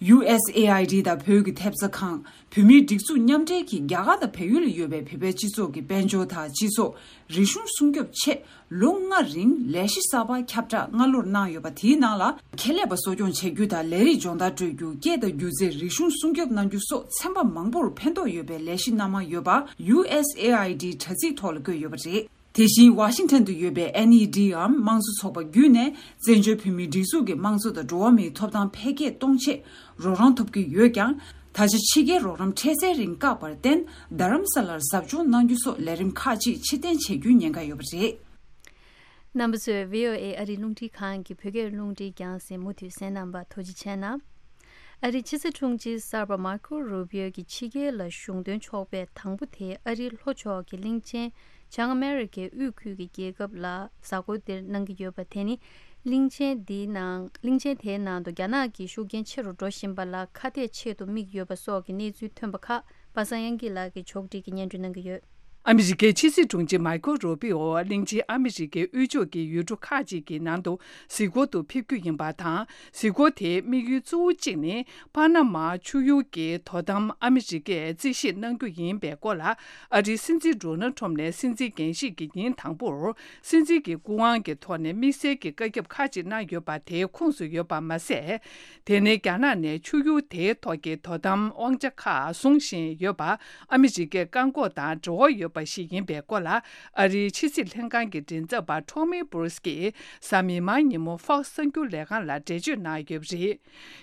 ཡུ་ཨེས་ཨེ་ཨའི་ཌི་དང་བོད་ཀྱི་ཐེབས་རྩ་ཁང་། བོད་མིའི་སྒྲིག་འཛུགས་མཉམ་འབྲེལ་གྱིས་རྒྱ་གར་དང་བལ་ཡུལ་ལ་ཡོད་པའི་བོད་པའི་སྤྱི་ཚོགས་ཀྱི་དཔལ་འབྱོར་དང་སྤྱི་ཚོགས་རིག་གཞུང་སྲུང་སྐྱོབ་ཆེད་ལོ་ལྔ་རིང་ལས་གཞི་གསར་པ་ཁྱབ་བསྒྲགས་སྔ་ལོར་གནང་ཡོད་པ། དེའི་ནང་ལ་ཁེ་ལས་པ་གསོ་སྐྱོང་བྱ་རྒྱུ་དང་། ལས་རིགས་སྦྱོང་བརྡར་སྤྲོད་རྒྱུ། སྐད་དང་སྒྱུ་རྩལ་རིག་གཞུང་སྲུང་སྐྱོབ་གནང་རྒྱུ་སོགས་ཚན་པ་མང་པོར་ཕན་ཐོགས་ཡོད་པའི་ལས་གཞི་སྣ་མང་ཡོད་པ་ཡུ་ཨེས་ཨེ་ཨའི་ཌི་དྲ་ཚིགས་ཐོག་ལ་བཀོད་ཡོད་པ་རེད། དེ་བཞིན་ཝ་ཤིང་ཊོན་དུ་ཡོད་པའི་ཨེན་ཨི་ཌི་འམ་དམངས་གཙོ་ཚོགས་པ་བརྒྱུད་ནས་བཙན་བྱོལ་བོད་མིའི་སྒྲིག་འཛུགས་ཀྱི་དམངས་གཙོ་དང་འགྲོ་བ་མིའི་ཐོབ་ཐང་འཕེལ་རྒྱས་གཏོང་ཆེད་རོགས་རམ་ཐོབ་ཀྱི་ཡོད་ཀྱང་། ད་ཆ་ཕྱི་རྒྱལ་རོགས་རམ་འཕྲལ་སེལ་རིང་བཀག་པར་བརྟེན། རྡ་རམ་ས་ལར་ཟབ་སྦྱོང་གནང་རྒྱུ་སོགས་ལས་རིམ་ཁག་ཅིག་ཕྱིར་འཐེན་བྱེད་རྒྱུའི་ཉེན་ཁ་ཡོད་པ་རེད། རྣམ་པ་ཚོས་བྷི་ཨོ་ཨེ་ཨ་རིའི་རླུང་འཕྲིན་ཁང་གི་བོད་སྐད་རླུང་འཕྲིན་རྒྱང་སྲིང་མུ་མཐུད་གསན་གནང་བར་ཐུགས་རྗེ་ཆེ་གནང་། ཨ་རིའི་ཕྱི་སྲིད་དྲུང་ཆེ་གསར་པ་མར་ཁོ་རུ་བྷི་ཨོ་གིས་ཕྱི་རྒྱལ་ལ་གཞུང་དོན་ཕྱོགས་ཕེབས་དང་པོ་དེ་ཨ་རིའི་ལྷོ་ཕྱོགས་ཀྱི་གླིང་ཆེན་བྱང་ཨ་མེ་རི་ཀའི་དབུས་ཁུལ་གྱི་རྒྱལ་ཁབ་ལ་གཟའ་འཁོར་འདིར་གནང་གི་ཡོད་པ། དེ་ནི་གླིང་ཆེན་འདིའི་ནང་གླིང་ཆེན་དེའི་ནང་དུ་རྒྱ་ནག་གི་ཤུགས་རྐྱེན་ཆེ་རུ་འགྲོ་བཞིན་པ་ལ་ཁ་གཏད་ཆེད་དུ་དམིགས་ཡོད་པ་སོགས་ཀྱི་གནས་ཚུལ་ཐོན་པ་ཁག་པ་སངས་དབྱངས་སྐྱིད་ལགས་ཀྱིས་ཕྱོགས་སྒྲིག་གིས་སྙན་སྒྲོན་གནང་གི་ཡོད། ཨ་མི་རི་ཀའི་ཕྱི་སྲིད་དྲུང་ཆེ་མཱི་ཁོ་རུ་པི་ཨོ་གླིང་ཆེན་ཨ་མི་རི་ཀའི་དབུས་ཕྱོགས་ཀྱི་ཡུལ་གྲུ་ཁག་ཅིག་གི་ནང་དུ་གཟིགས་སྐོར་དུ་ཕེབས་རྒྱུ་ཡིན་པ་དང་། གཟིགས་སྐོར་དེའི་དམིགས་ཡུལ་གཙོ་བོ་གཅིག་ནི། པ་ན་མ་ཆུ་ཡུར་གྱི་དོ་དམ་ཨ་མི་རི་ཀས་རྩིས་བཞེས་གནང་རྒྱུ་ཡིན་པའི་སྐོར་ལ། ཨ་རིའི་སྲིད་འཛིན་ཌོ་ནལ་ཁྲོམ་ནས་སྲིད་འཛིན་འགན་བཞེས་ཀྱི་ཉིན་དང་པོར། སྲིད་འཛིན་གྱི་སྐུ་དབང་གི་ཐོག་ནས་དམིགས་བསལ་གྱི་བཀའ་ཁྱབ་ཁག་ཅིག་གནང་ཡོད་པ་དེའི་ཁོངས་སུ་ཡོད་པ་མ་ཟད། དེ་ནི་རྒྱ་ནག་ནས་ཆུ་ཡུར་དེའི་ཐོག་གི་དོ་དམ་དབང་ཆ་ཁག་བཟུང་བཞིན་ཡོད་པ། ཨ་མི་རི་ཀའི་བཀག་འགོག་དང་འབྲེལ་བ་ཡོད་པ་ཞིག་ཡིན་པའི་སྐོར་ལ། ཨ་རིའི་ཕྱི་སྲིད་ལྷན་ཁང་གི་མགྲིན་ཚབ་པ་ཊོ་མི་སྦུ་རུས་ཀྱིས་གཟའ་མིག་དམར་ཉིན་མོ་ཧྥོག་སི་གསར་འགྱུར་ལས་ཁང་ལ་འགྲེལ་བརྗོད་གནང་ཡོད་པ་རེད།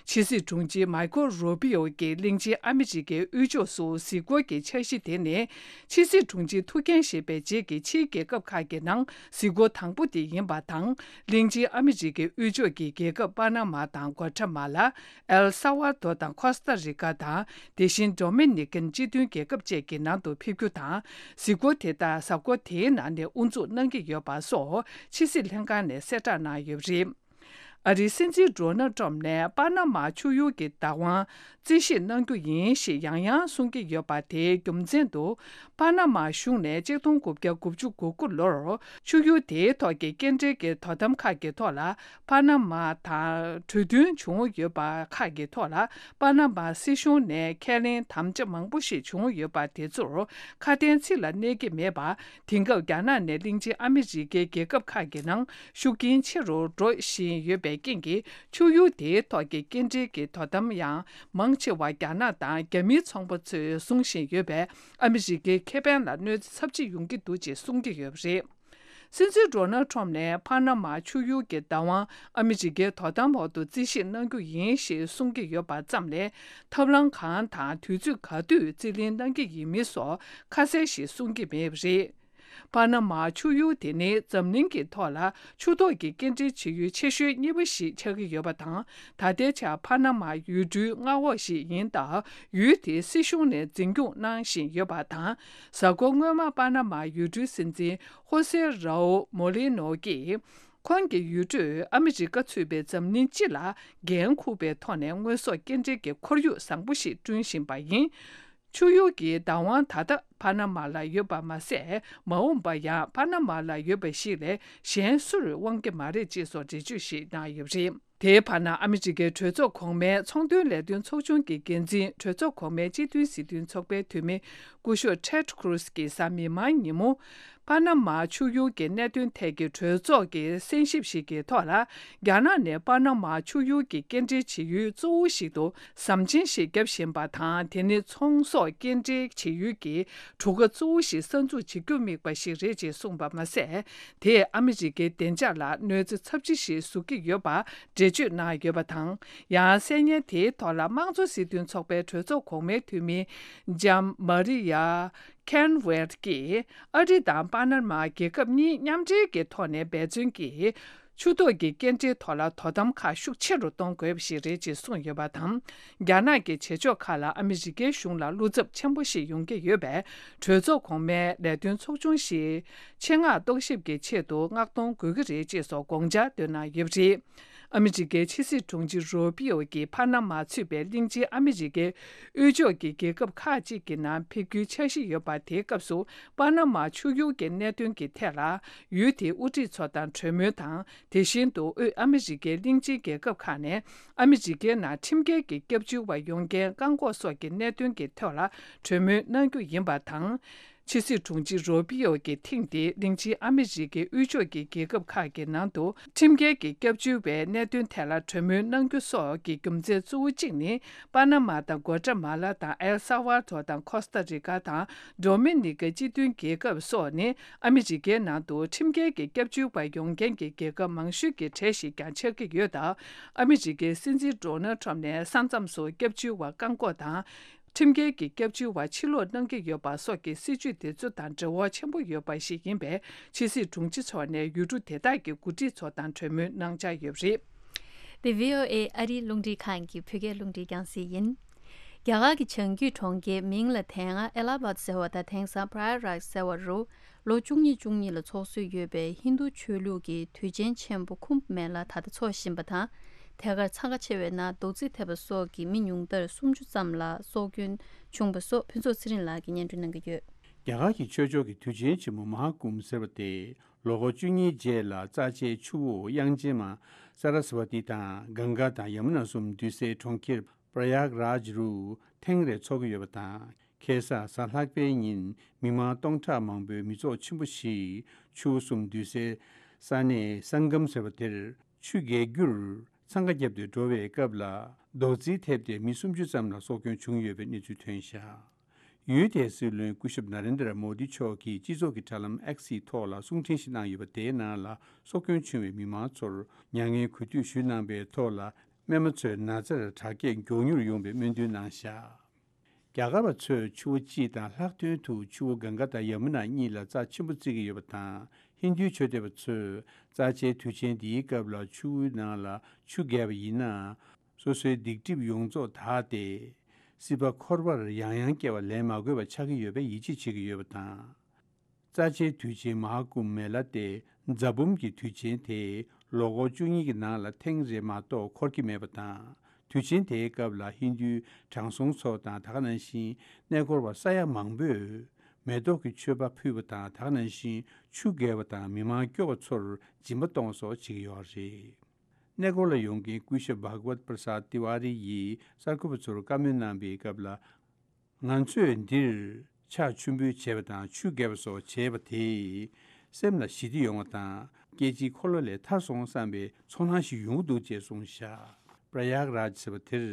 ཕྱི་སྲིད་དྲུང་ཆེ་མཱི་ཁོ་རུ་པི་ཨོ་གིས་གླིང་ཆེན་ཨ་མི་རི་ཀའི་དབུས་ཕྱོགས་སུ་གཟིགས་སྐོར་གྱི་འཆར་གཞི་དེ་ནི། ཕྱི་སྲིད་དྲུང་ཆེ་ཐུགས་འགན་བཞེས་པའི་རྗེས་ཀྱི་ཕྱིའི་རྒྱལ་ཁབ་ཁག་གི་ནང་གཟིགས་སྐོར་དང་པོ་དེ་ཡིན་པ་དང་། གླིང་ཆེན་ཨ་མི་རི་ཀའི་དབུས་ཕྱོགས་ཀྱི་རྒྱལ་ཁབ་པ་ན་མ་དང་། གོ་ཊ་མ་ལ། ཨེལ་སཱ་ཝཱ་དོ་དང་། ཁོ་སྟ་རི་ཀ་དང་། དེ་བཞིན་ཌོ་མི་ནི་ཀན་སྤྱི་མཐུན་རྒྱལ་ཁབ་བཅས་ཀྱི་ནང་དུ་ཕེབས་རྒྱུ་དང་། གཟིགས་སྐོར་དེ་དག་གཟའ་འཁོར་དེའི་ནང་ནས་དབུ་འཛུགས་གནང་གི་ཡོད་པ་སོགས་ཕྱི་སྲིད་ལྷན་ཁང་ནས་གསལ་བསྒྲགས་གནང་ཡོད་པ་རེད། ཨ་རིའི་སྲིད་འཛིན་ཌོ་ནལ་ཏྲམ་ནས་པ་ན་མ་ཆུ་ཡུར་གྱི་བདག་དབང་རྩིས་བཞེས་གནང་རྒྱུ་ཡིན་ཞེས་ཡང་ཡང་གསུང་གི་ཡོད་པ། དེའི་རྒྱུ་མཚན་དུ། པ་ན་མ་གཞུང་ནས་གཅིག་སྟོང་དགུ་བརྒྱ་དགུ་བཅུ་གོ་དགུ་ལོར་ཆུ་ཡུར་དེའི་ཐོག་གི་སྐྱེལ་འདྲེན་གྱི་དོ་དམ་ཁག་གི་ཐོག་ལ། པ་ན་མ་དང་གྲོས་མཐུན་བྱུང་ཡོད་པ་ཁག་གི་ཐོག་ལ། པ་ན་མ་སྲིད་གཞུང་ནས་ཁས་ལེན་དམ་བཅའ་མང་པོ་ཞིག་བྱུང་ཡོད་པ། དེ་ཚོར་ཁ་དན་ཚིག་ལ་གནས་ཀྱི་མེད་པ། དེང་སྐབས་རྒྱ་ནག་ནས་གླིང་ཆེན་ཨ་མི་རི་ཀའི་རྒྱལ་ཁབ་ཁག་གི་ནང་ཤུགས་རྐྱེན་ཆེ་རུ་འགྲོ་བཞིན་ཡོད་པའི་རྐྱེན་གྱིས། ཆུ་ཡུར་དེའི་ཐོག་གི་སྐྱེལ་འདྲེན་གྱི་དོ་དམ་ཡང་མང་ཆེ་བ་རྒྱ་ནག་དང་རྒྱ་མིའི་ཚོང་པ་ཚོས་བཟུང་བཞིན་ཡོད་པས། ཨ་མི་རི་ཀའི་ཁེ་ཕན་ལ་གནོད་འཚེ་ཚབས་ཆེ་ཡོང་གི་འདུག་ཅེས་གསུང་གི་ཡོད་པ་རེད། སྲིད་འཛིན་ཌོ་ནལ་ཁྲོམ་ནས་པ་ན་མ་ཆུ་ཡུར་གྱི་བདག་དབང་ཨ་མི་རི་ཀའི་དོ་དམ་འོག་ཏུ་རྩིས་བཞེས་གནང་རྒྱུ་ཡིན་ཞེས་གསུང་གི་ཡོད་པ་ཙམ་ལས། ཐབས་ལམ་གང་དང་དུས་ཚོད་ག་དུས་རྩིས་ལེན་གནང་གི་ཡིན་མིན་སོགས་ཁ་གསལ་ཞིག་གསུང་གི་མེད་པ་རེད། པ་ན་མ་ཆུ་ཡུར་དེ་ནི་འཛམ་གླིང་གི་ཐོག་ལ་ཆུ་ཐོག་གི་སྐྱེལ་འདྲེན་བྱེད་ཡུལ་ཆེ་ཤོས་གཉིས་པ་ཞིག་ཆགས་ཀྱི་ཡོད་པ་དང་། ད་ལྟའི་ཆར་པ་ན་མ་ཡུལ་གྲུའི་མངའ་འོག་ཞིག་ཡིན་སྟབས། ཡུལ་དེའི་སྲིད་གཞུང་ནས་འཛིན་སྐྱོང་གནང་བཞིན་ཡོད་པ་དང་། གཟའ་འཁོར་སྔོན་མ་པ་ན་མ་ཡུལ་གྲུའི་སྲིད་འཛིན་ཧོ་སེ་རའོ་མོ་ལི་ནོ་གིས། ཁོང་གི་ཡུལ་གྲུས་ཨ་མི་རི་ཀ་ཚུད་པའི་འཛམ་གླིང་སྤྱི་ལ་འགན་འཁུར་བའི་ཐོག་ནས་དངོས་ཟོག་སྐྱེལ་འདྲེན་གྱི་ཁོར་ཡུག་བཟང་པོ་ཞིག་བསྐྲུན་བཞིན་པ་ཡིན། ཆུ་ཡུར་གྱི་བདག་དབང་ད་ལྟ་པ་ན་མ་ལ་ཡོད་པ་མ་ཟད། མ་འོངས་པར་ཡང་པ་ན་མ་ལ་ཡོད་པ་ཞིག་ལས་གཞན་སུར་དབང་གི་མ་རེད་ཅེས་སོགས་འགྲེལ་བརྗོད་ཞིག་གནང་ཡོད་པ་རེད། དེའི་བར་ན། ཨ་མི་རི་ཀའི་གྲོས་ཚོགས་གོང་མའི་ཚོང་དོན་ལས་དོན་ཚོགས་ཆུང་གི་འགན་འཛིན། གྲོས་ཚོགས་གོང་མའི་སྤྱི་མཐུན་སྲིད་དོན་ཚོགས་པའི་འཐུས་མི་སྐུ་ཞབས་ཊེཌ་ཁུ་རུ་སི་ཀྱིས་གཟའ་མིག་དམར་ཉིན་མོ། པ་ན་མ་ཆུ་ཡུར་གྱི་གནད་དོན་ཐད་ཀྱི་གྲོས་ཚོགས་ཀྱི་གསན་ཞིབ་ཞིག་གི་ཐོག་ལ། རྒྱ་ནག་ནས་པ་ན་མ་ཆུ་ཡུར་གྱི་སྐྱེལ་འདྲེན་བྱེད་ཡུལ་གཙོ་བོ་ཞིག་ཏུ་ཟམ་ཆེན་ཞིག་བརྒྱབ་བཞིན་པ་དང་། དེ་ནི་ཚོང་ཟོག་སྐྱེལ་འདྲེན་བྱེད་ཡུལ་གྱི་གྲུ་ཁ་གཙོ་བོ་ཞིག་གསར་འཛུགས་བྱེད་རྒྱུར་དམིགས་པ་ཞིག་རེད་ཅེས་གསུངས་པ་མ་ཟད། དེས་ཨ་མི་རི་ཀའི་བདེ་འཇགས་ལ་གནོད་འཚེ་ཚབས་ཆེ་ཞིག་བཟོ་གི་ཡོད་པ་འགྲེལ་བརྗོད་གནང་ཡོད་པ་དང་། ཡང་གསལ་བརྙན་དེའི་ཐོག་ལ་དམངས་གཙོ་སྲིད་དོན་ཚོགས་པའི་གྲོས་ཚོགས་གོང་མའི་འཐུས་མི་ལྕམ་མ་རི་ཡ་ཁན་ཝེར་གྱིས། ཨ་རི་དང་པ་ན་མ་རྒྱལ་ཁབ་གཉིས་མཉམ་འབྲེལ་གྱི་ཐོག་ནས་འབད་བརྩོན་གྱིས། ཆུ་ཐོག་གི་སྐྱེལ་འདྲེན་ཐོག་ལ་དོ་དམ་ཁག་ཤུགས་ཆེ་རུ་གཏོང་དགོས་པ་ཞིག་རེད་ཅེས་གསུངས་ཡོད་པ་དང་། རྒྱ་ནག་གི་བྱེད་ཕྱོགས་ཁག་ལ་ཨ་མི་རི་ཀའི་གཞུང་ལ་བློ་འཚབ་ཆེན་པོ་ཞིག་ཡོང་གི་ཡོད་པས། གྲོས་ཚོགས་གོང་མའི་ལས་དོན་ཚོགས་ཆུང་ཞིག་ཆེད་མངགས་རྟོག་ཞིབ་ཀྱི་ཆེད་དུ་མངགས་གཏོང་དགོས་ཀྱི་རེད་ཅེས་སོགས་དགོངས་འཆར་བཏོན་གནང་ཡོད་པ་རེད། ཨ་མི་རི་ཀའི་ཕྱི་སྲིད་དྲུང་ཆེ་རུ་པི་ཨོ་གིས་ཕ་ན་མ་ཚུད་པའི་གླིང་ཆེན་ཨ་མི་རི་ཀའི་དབུས་ཕྱོགས་ཀྱི་རྒྱལ་ཁབ་ཁག་ཅིག་གི་ནང་ཕེབས་རྒྱུའི་འཆར་གཞི་ཡོད་པ། དེའི་སྐབས་སུ་པ་ན་མ་ཆུ་ཡུར་གྱི་གནད་དོན་གྱི་ཐད་ལ། ཡུལ་དེའི་དབུ་ཁྲིད་ཚོ་དང་གྲོས་མོལ་དང་། དེ་བཞིན་དུ་དབུས་ཨ་མི་རི་ཀའི་གླིང་ཆེན་རྒྱལ་ཁབ་ཁག་ནས་ཨ་མི་རི་ཀའི་ནང་ཁྲིམས་འགལ་གྱི་སྐྱབས་བཅོལ་བ་ཡོང་རྐྱེན་བཀག་འགོག་སོགས་ཀྱི་གནད་དོན་གྱི་ཐོག་ལ་གྲོས་མོལ་གནང་རྒྱུ་ཡིན་པ་དང་། ཕྱི་སྲིད་དྲུང་ཆེ་རུ་པི་ཨོ་གིས་ཐེངས་འདིའི་གླིང་ཆེན་ཨ་མི་རི་ཀའི་དབུས་ཕྱོགས་ཀྱི་རྒྱལ་ཁབ་ཁག་གི་ནང་དུ་ཁྲིམས་འགལ་གྱི་སྐྱབས་བཅོལ་བའི་གནད་དོན་ཐད་ལ་གྲོས་མོལ་གནང་རྒྱུ་སོགས་ཀྱི་རྒྱུ་མཚན་གཙོ་བོ་གཅིག་ནི། པ་ན་མ་དང་། གོ་ཏྲ་མ་ལ་དང་། ཨེལ་ས་ཝཱ་ཏོ་དང་། ཁོ་སྟ་རི་ཀ་དང་། ཌོ་མི་ནི་ཀ་སྤྱི་མཐུན་རྒྱལ་ཁབ་སོགས་ནི་ཨ་མི་རི་ཀའི་ནང་དུ་ཁྲིམས་འགལ་གྱི་སྐྱབས་བཅོལ་བ་ཡོང་མཁན་གྱི་རྒྱལ་ཁབ་མང་ཤོས་ཀྱི་གྲས་ཤིག་ཀྱང་ཆགས་ཀྱི་ཡོད་སྟབས། ཨ་མི་རི་ཀའི་སྲིད་འཛིན་ཌོ་ནལ་ཁྲམ་ནས་ས་མཚམས་སུ་སྐྱབས་བཅོལ་བ་བཀག་འགོག་དང་། ཁྲིམས་འགལ་གྱི་སྐྱབས་བཅོལ་བ་ཕྱིར་ལོག་གནང་གི་ཡོད་པ་སོགས་ཀྱི་སྲིད་བྱུས་དེ་ཚོ་དང་འབྲེལ་བ་ཆེན་པོ་ཡོད་པ་ཞིག་ཡིན་པས། ཕྱི་སྲིད་དྲུང་ཆེ་མཆོག་ནས་ཡུལ་གྲུ་དེ་དག་གི་འགོ་ཁྲིད་ཚོ་དང་གྲོས་མོལ་གནང་འཆར་ཡོད་པ་རེད། འདི་བྷི་ཨོ་ཨེ་ཨ་རིའི་རླུང་འཕྲིན་ཁང་གི་བོད་སྐད་རླུང་འཕྲིན་རྒྱང་སྲིང་ཡིན། རྒྱ་གར་གྱི་བྱང་རྒྱུད་གྲོང་ཁྱེར་མིང་ལ་དེ་སྔ་ཨེ་ལ་ཧ་བཱད་ཟེར་བ་དང་དེང་སང་པྲ་ཡ་ག་རཱཇ་ཟེར་བ་རུ། ལོ་བཅུ་གཉིས་བཅུ་གཉིས་ལ་འཚོགས་སྲོལ་ཡོད་པའི་ཧིན་རྡུ་ཆོས་ལུགས་ཀྱི་དུས་ཆེན་ཆེན་པོ་ཁུམ་བྷ་མེ་ལ་ད་ལྟ་འཚོགས་བཞིན་པ་དང་། དེ་གར་འཚང་ཁ་ཆེ་བའི་ནང་རྡོག་རྫིས་ཐེབས་པ་སོགས་ཀྱི་མི་ཉུང་མཐར་སུམ་ཅུ་ཙམ་ལ་སྲོག་སྐྱོན་བྱུང་བ་སོགས་ཕུན་ཚོགས་ཚེ་རིང་ལགས་ཀྱིས་སྙན་སྒྲོན་གནང་གི་ཡོད། རྒྱ་གར་གྱི་ཆོས་ཕྱོགས་ཀྱི་དུས་ཆེན་ཆེན་མོ་མ་ཧཱ་ཀུམ་ཟེར་བ་དེ་ལོ་འཁོར་བཅུ་གཉིས་རྗེས་ལ་རྩ་ཆེའི་ཆུ་བོ་དབྱངས་ཅན་མ་སཱ་ར་སི་ཝ་ཏི་དང་གངྒཱ་དང་ཡ་མུ་ན་གསུམ་འདུས་སའི་གྲོང་ཁྱེར་པྲ་ཡཱ་ག་རཱཇ་རུ་ཐེངས་རེ་འཚོགས་ཀྱི་ཡོད་པ་དང་། ཁ་སང་གཟའ་ལྷག་པའི་ཉིན་མི་མང་སྟོང་ཕྲག་མང་པོའི་མི་ཚོགས་ཆེན་པོ་ཞིག་ཆུ་བོ་གསུམ་འདུས་སའི་ས་གནས་སང་གམ་ཟེར་བ་དེར་ཆུ་བརྒལ་རྒྱུར་འཚང་ཁ་བརྒྱབ་སྟེ་འགྲོ་བའི་སྐབས་ལ་རྡོག་རྫིས་ཐེབས་ཏེ་མི་སུམ་ཅུ་ཙམ་ལ་སྲོག་སྐྱོན་བྱུང་ཡོད་པའི་གནས་ཚུལ་ཐོན་བཞག་ཡུལ་དེའི་སྲིད་བློན་སྐུ་ཞབས་ན་རེན་དྲ་མོ་དི་མཆོག་གིས་སྤྱི་ཚོགས་ཀྱི་དྲ་ལམ་ཨེག་སི་ཐོག་ལ་གསུང་འཕྲིན་ཞིག་གནང་ཡོད་པ་དེའི་ནང་ལ། སྲོག་སྐྱོན་བྱུང་བའི་མི་མང་ཚོར་མྱ་ངན་གུས་འདུད་ཞུས་གནང་པའི་ཐོག་ལ། རྨས་མ་ཚོའི་ན་ཚར་དྲག་སྐྱེད་མགྱོགས་མྱུར་ཡོང་བའི་སྨོན་འདུན་གནང་བཞག་རྒྱ་གར་བ་ཚོས་ཆུ་བོ་གཅིག་དང་ལྷག་དོན་དུ་ཆུ་བོ་གངྒཱ་དང་ཡ་མུ་ན་གཉིས་ལ་རྩ་ཆེན་པོ་བརྩི་གི་ཡོད་པ་དང་། ཧིན་རྡུའི་ཆོས་དད་པ་ཚོས་རྩ་ཆེའི་དུས་ཆེན་འདིའི་སྐབས་ལ་ཆུ་བོའི་ནང་ལ་ཆུ་བརྒལ་བ་ཡིན་ན། སོ་སོའི་སྡིག་སྒྲིབ་ཡོངས་རྫོགས་དག་སྟེ། སྲིད་པ་འཁོར་བར་ཡང་ཡང་སྐྱེ་བ་ལེན་མ་དགོས་པ་ཆགས་ཀྱི་ཡོད་པའི་ཡིད་ཆེས་བྱེད་ཀྱི་ཡོད་པ་དང་། རྩ་ཆེའི་དུས་ཆེན་མ་ཧཱ་ཀུམ་མེ་ལ་སྟེ་རྫ་བུམ་གྱི་དུས་ཆེན་དེ་ལོ་འཁོར་བཅུ་གཉིས་ཀྱི་ནང་ལ་ཐེངས་རེ་མ་གཏོགས་འཁོར་གྱི་མེད་པ་དང་། དུས་ཆེན་དེའི་སྐབས་ལ་ཧིན་རྡུའི་དྲང་སྲོང་ཚོ་དང་། ད་ག་ནང་བཞིན་གནས་སྐོར་བ་ས་ཡ་མང་པོས་མེ་ཏོག་གི་མཆོད་པ་ཕུལ་བ་དང་། ད་ག་ནང་བཞིན་ཆུ་བརྒལ་བ་དང་མི་མང་སྐྱོ་བ་ཚོར་སྦྱིན་པ་གཏོང་བ་སོགས་བྱེད་ཀྱི་ཡོད་རེད། གནས་སྐོར་ལ་ཡོང་མཁན་སྐུ་ཞབས་བྷག་ཝད་པྲ་སཱད་ཏི་ཝཱ་རི་ཡིས་གསར་འགོད་པ་ཚོར་བཀའ་མོལ་གནང་པའི་སྐབས་ལ། ང་ཚོས་འདིར་ཕྱག་མཆོད་འབུལ་བྱས་པ་དང་ཆུ་བརྒལ་བ་སོགས་བྱས་པ་དེས་སེམས་ལ་ཞི་བདེ་ཡོང་བ་དང་། སྐྱེ་འཆིའི་འཁོར་ལོ་ལས་ཐར་སོང་བསམ་པའི་ཚོར་སྣང་ཞིག་ཡོང་གི་འདུག་ཅེས་གསུངས་བཞག་པྲ་ཡཱ་ག་རཱཇ་ཟེར་བ་དེར་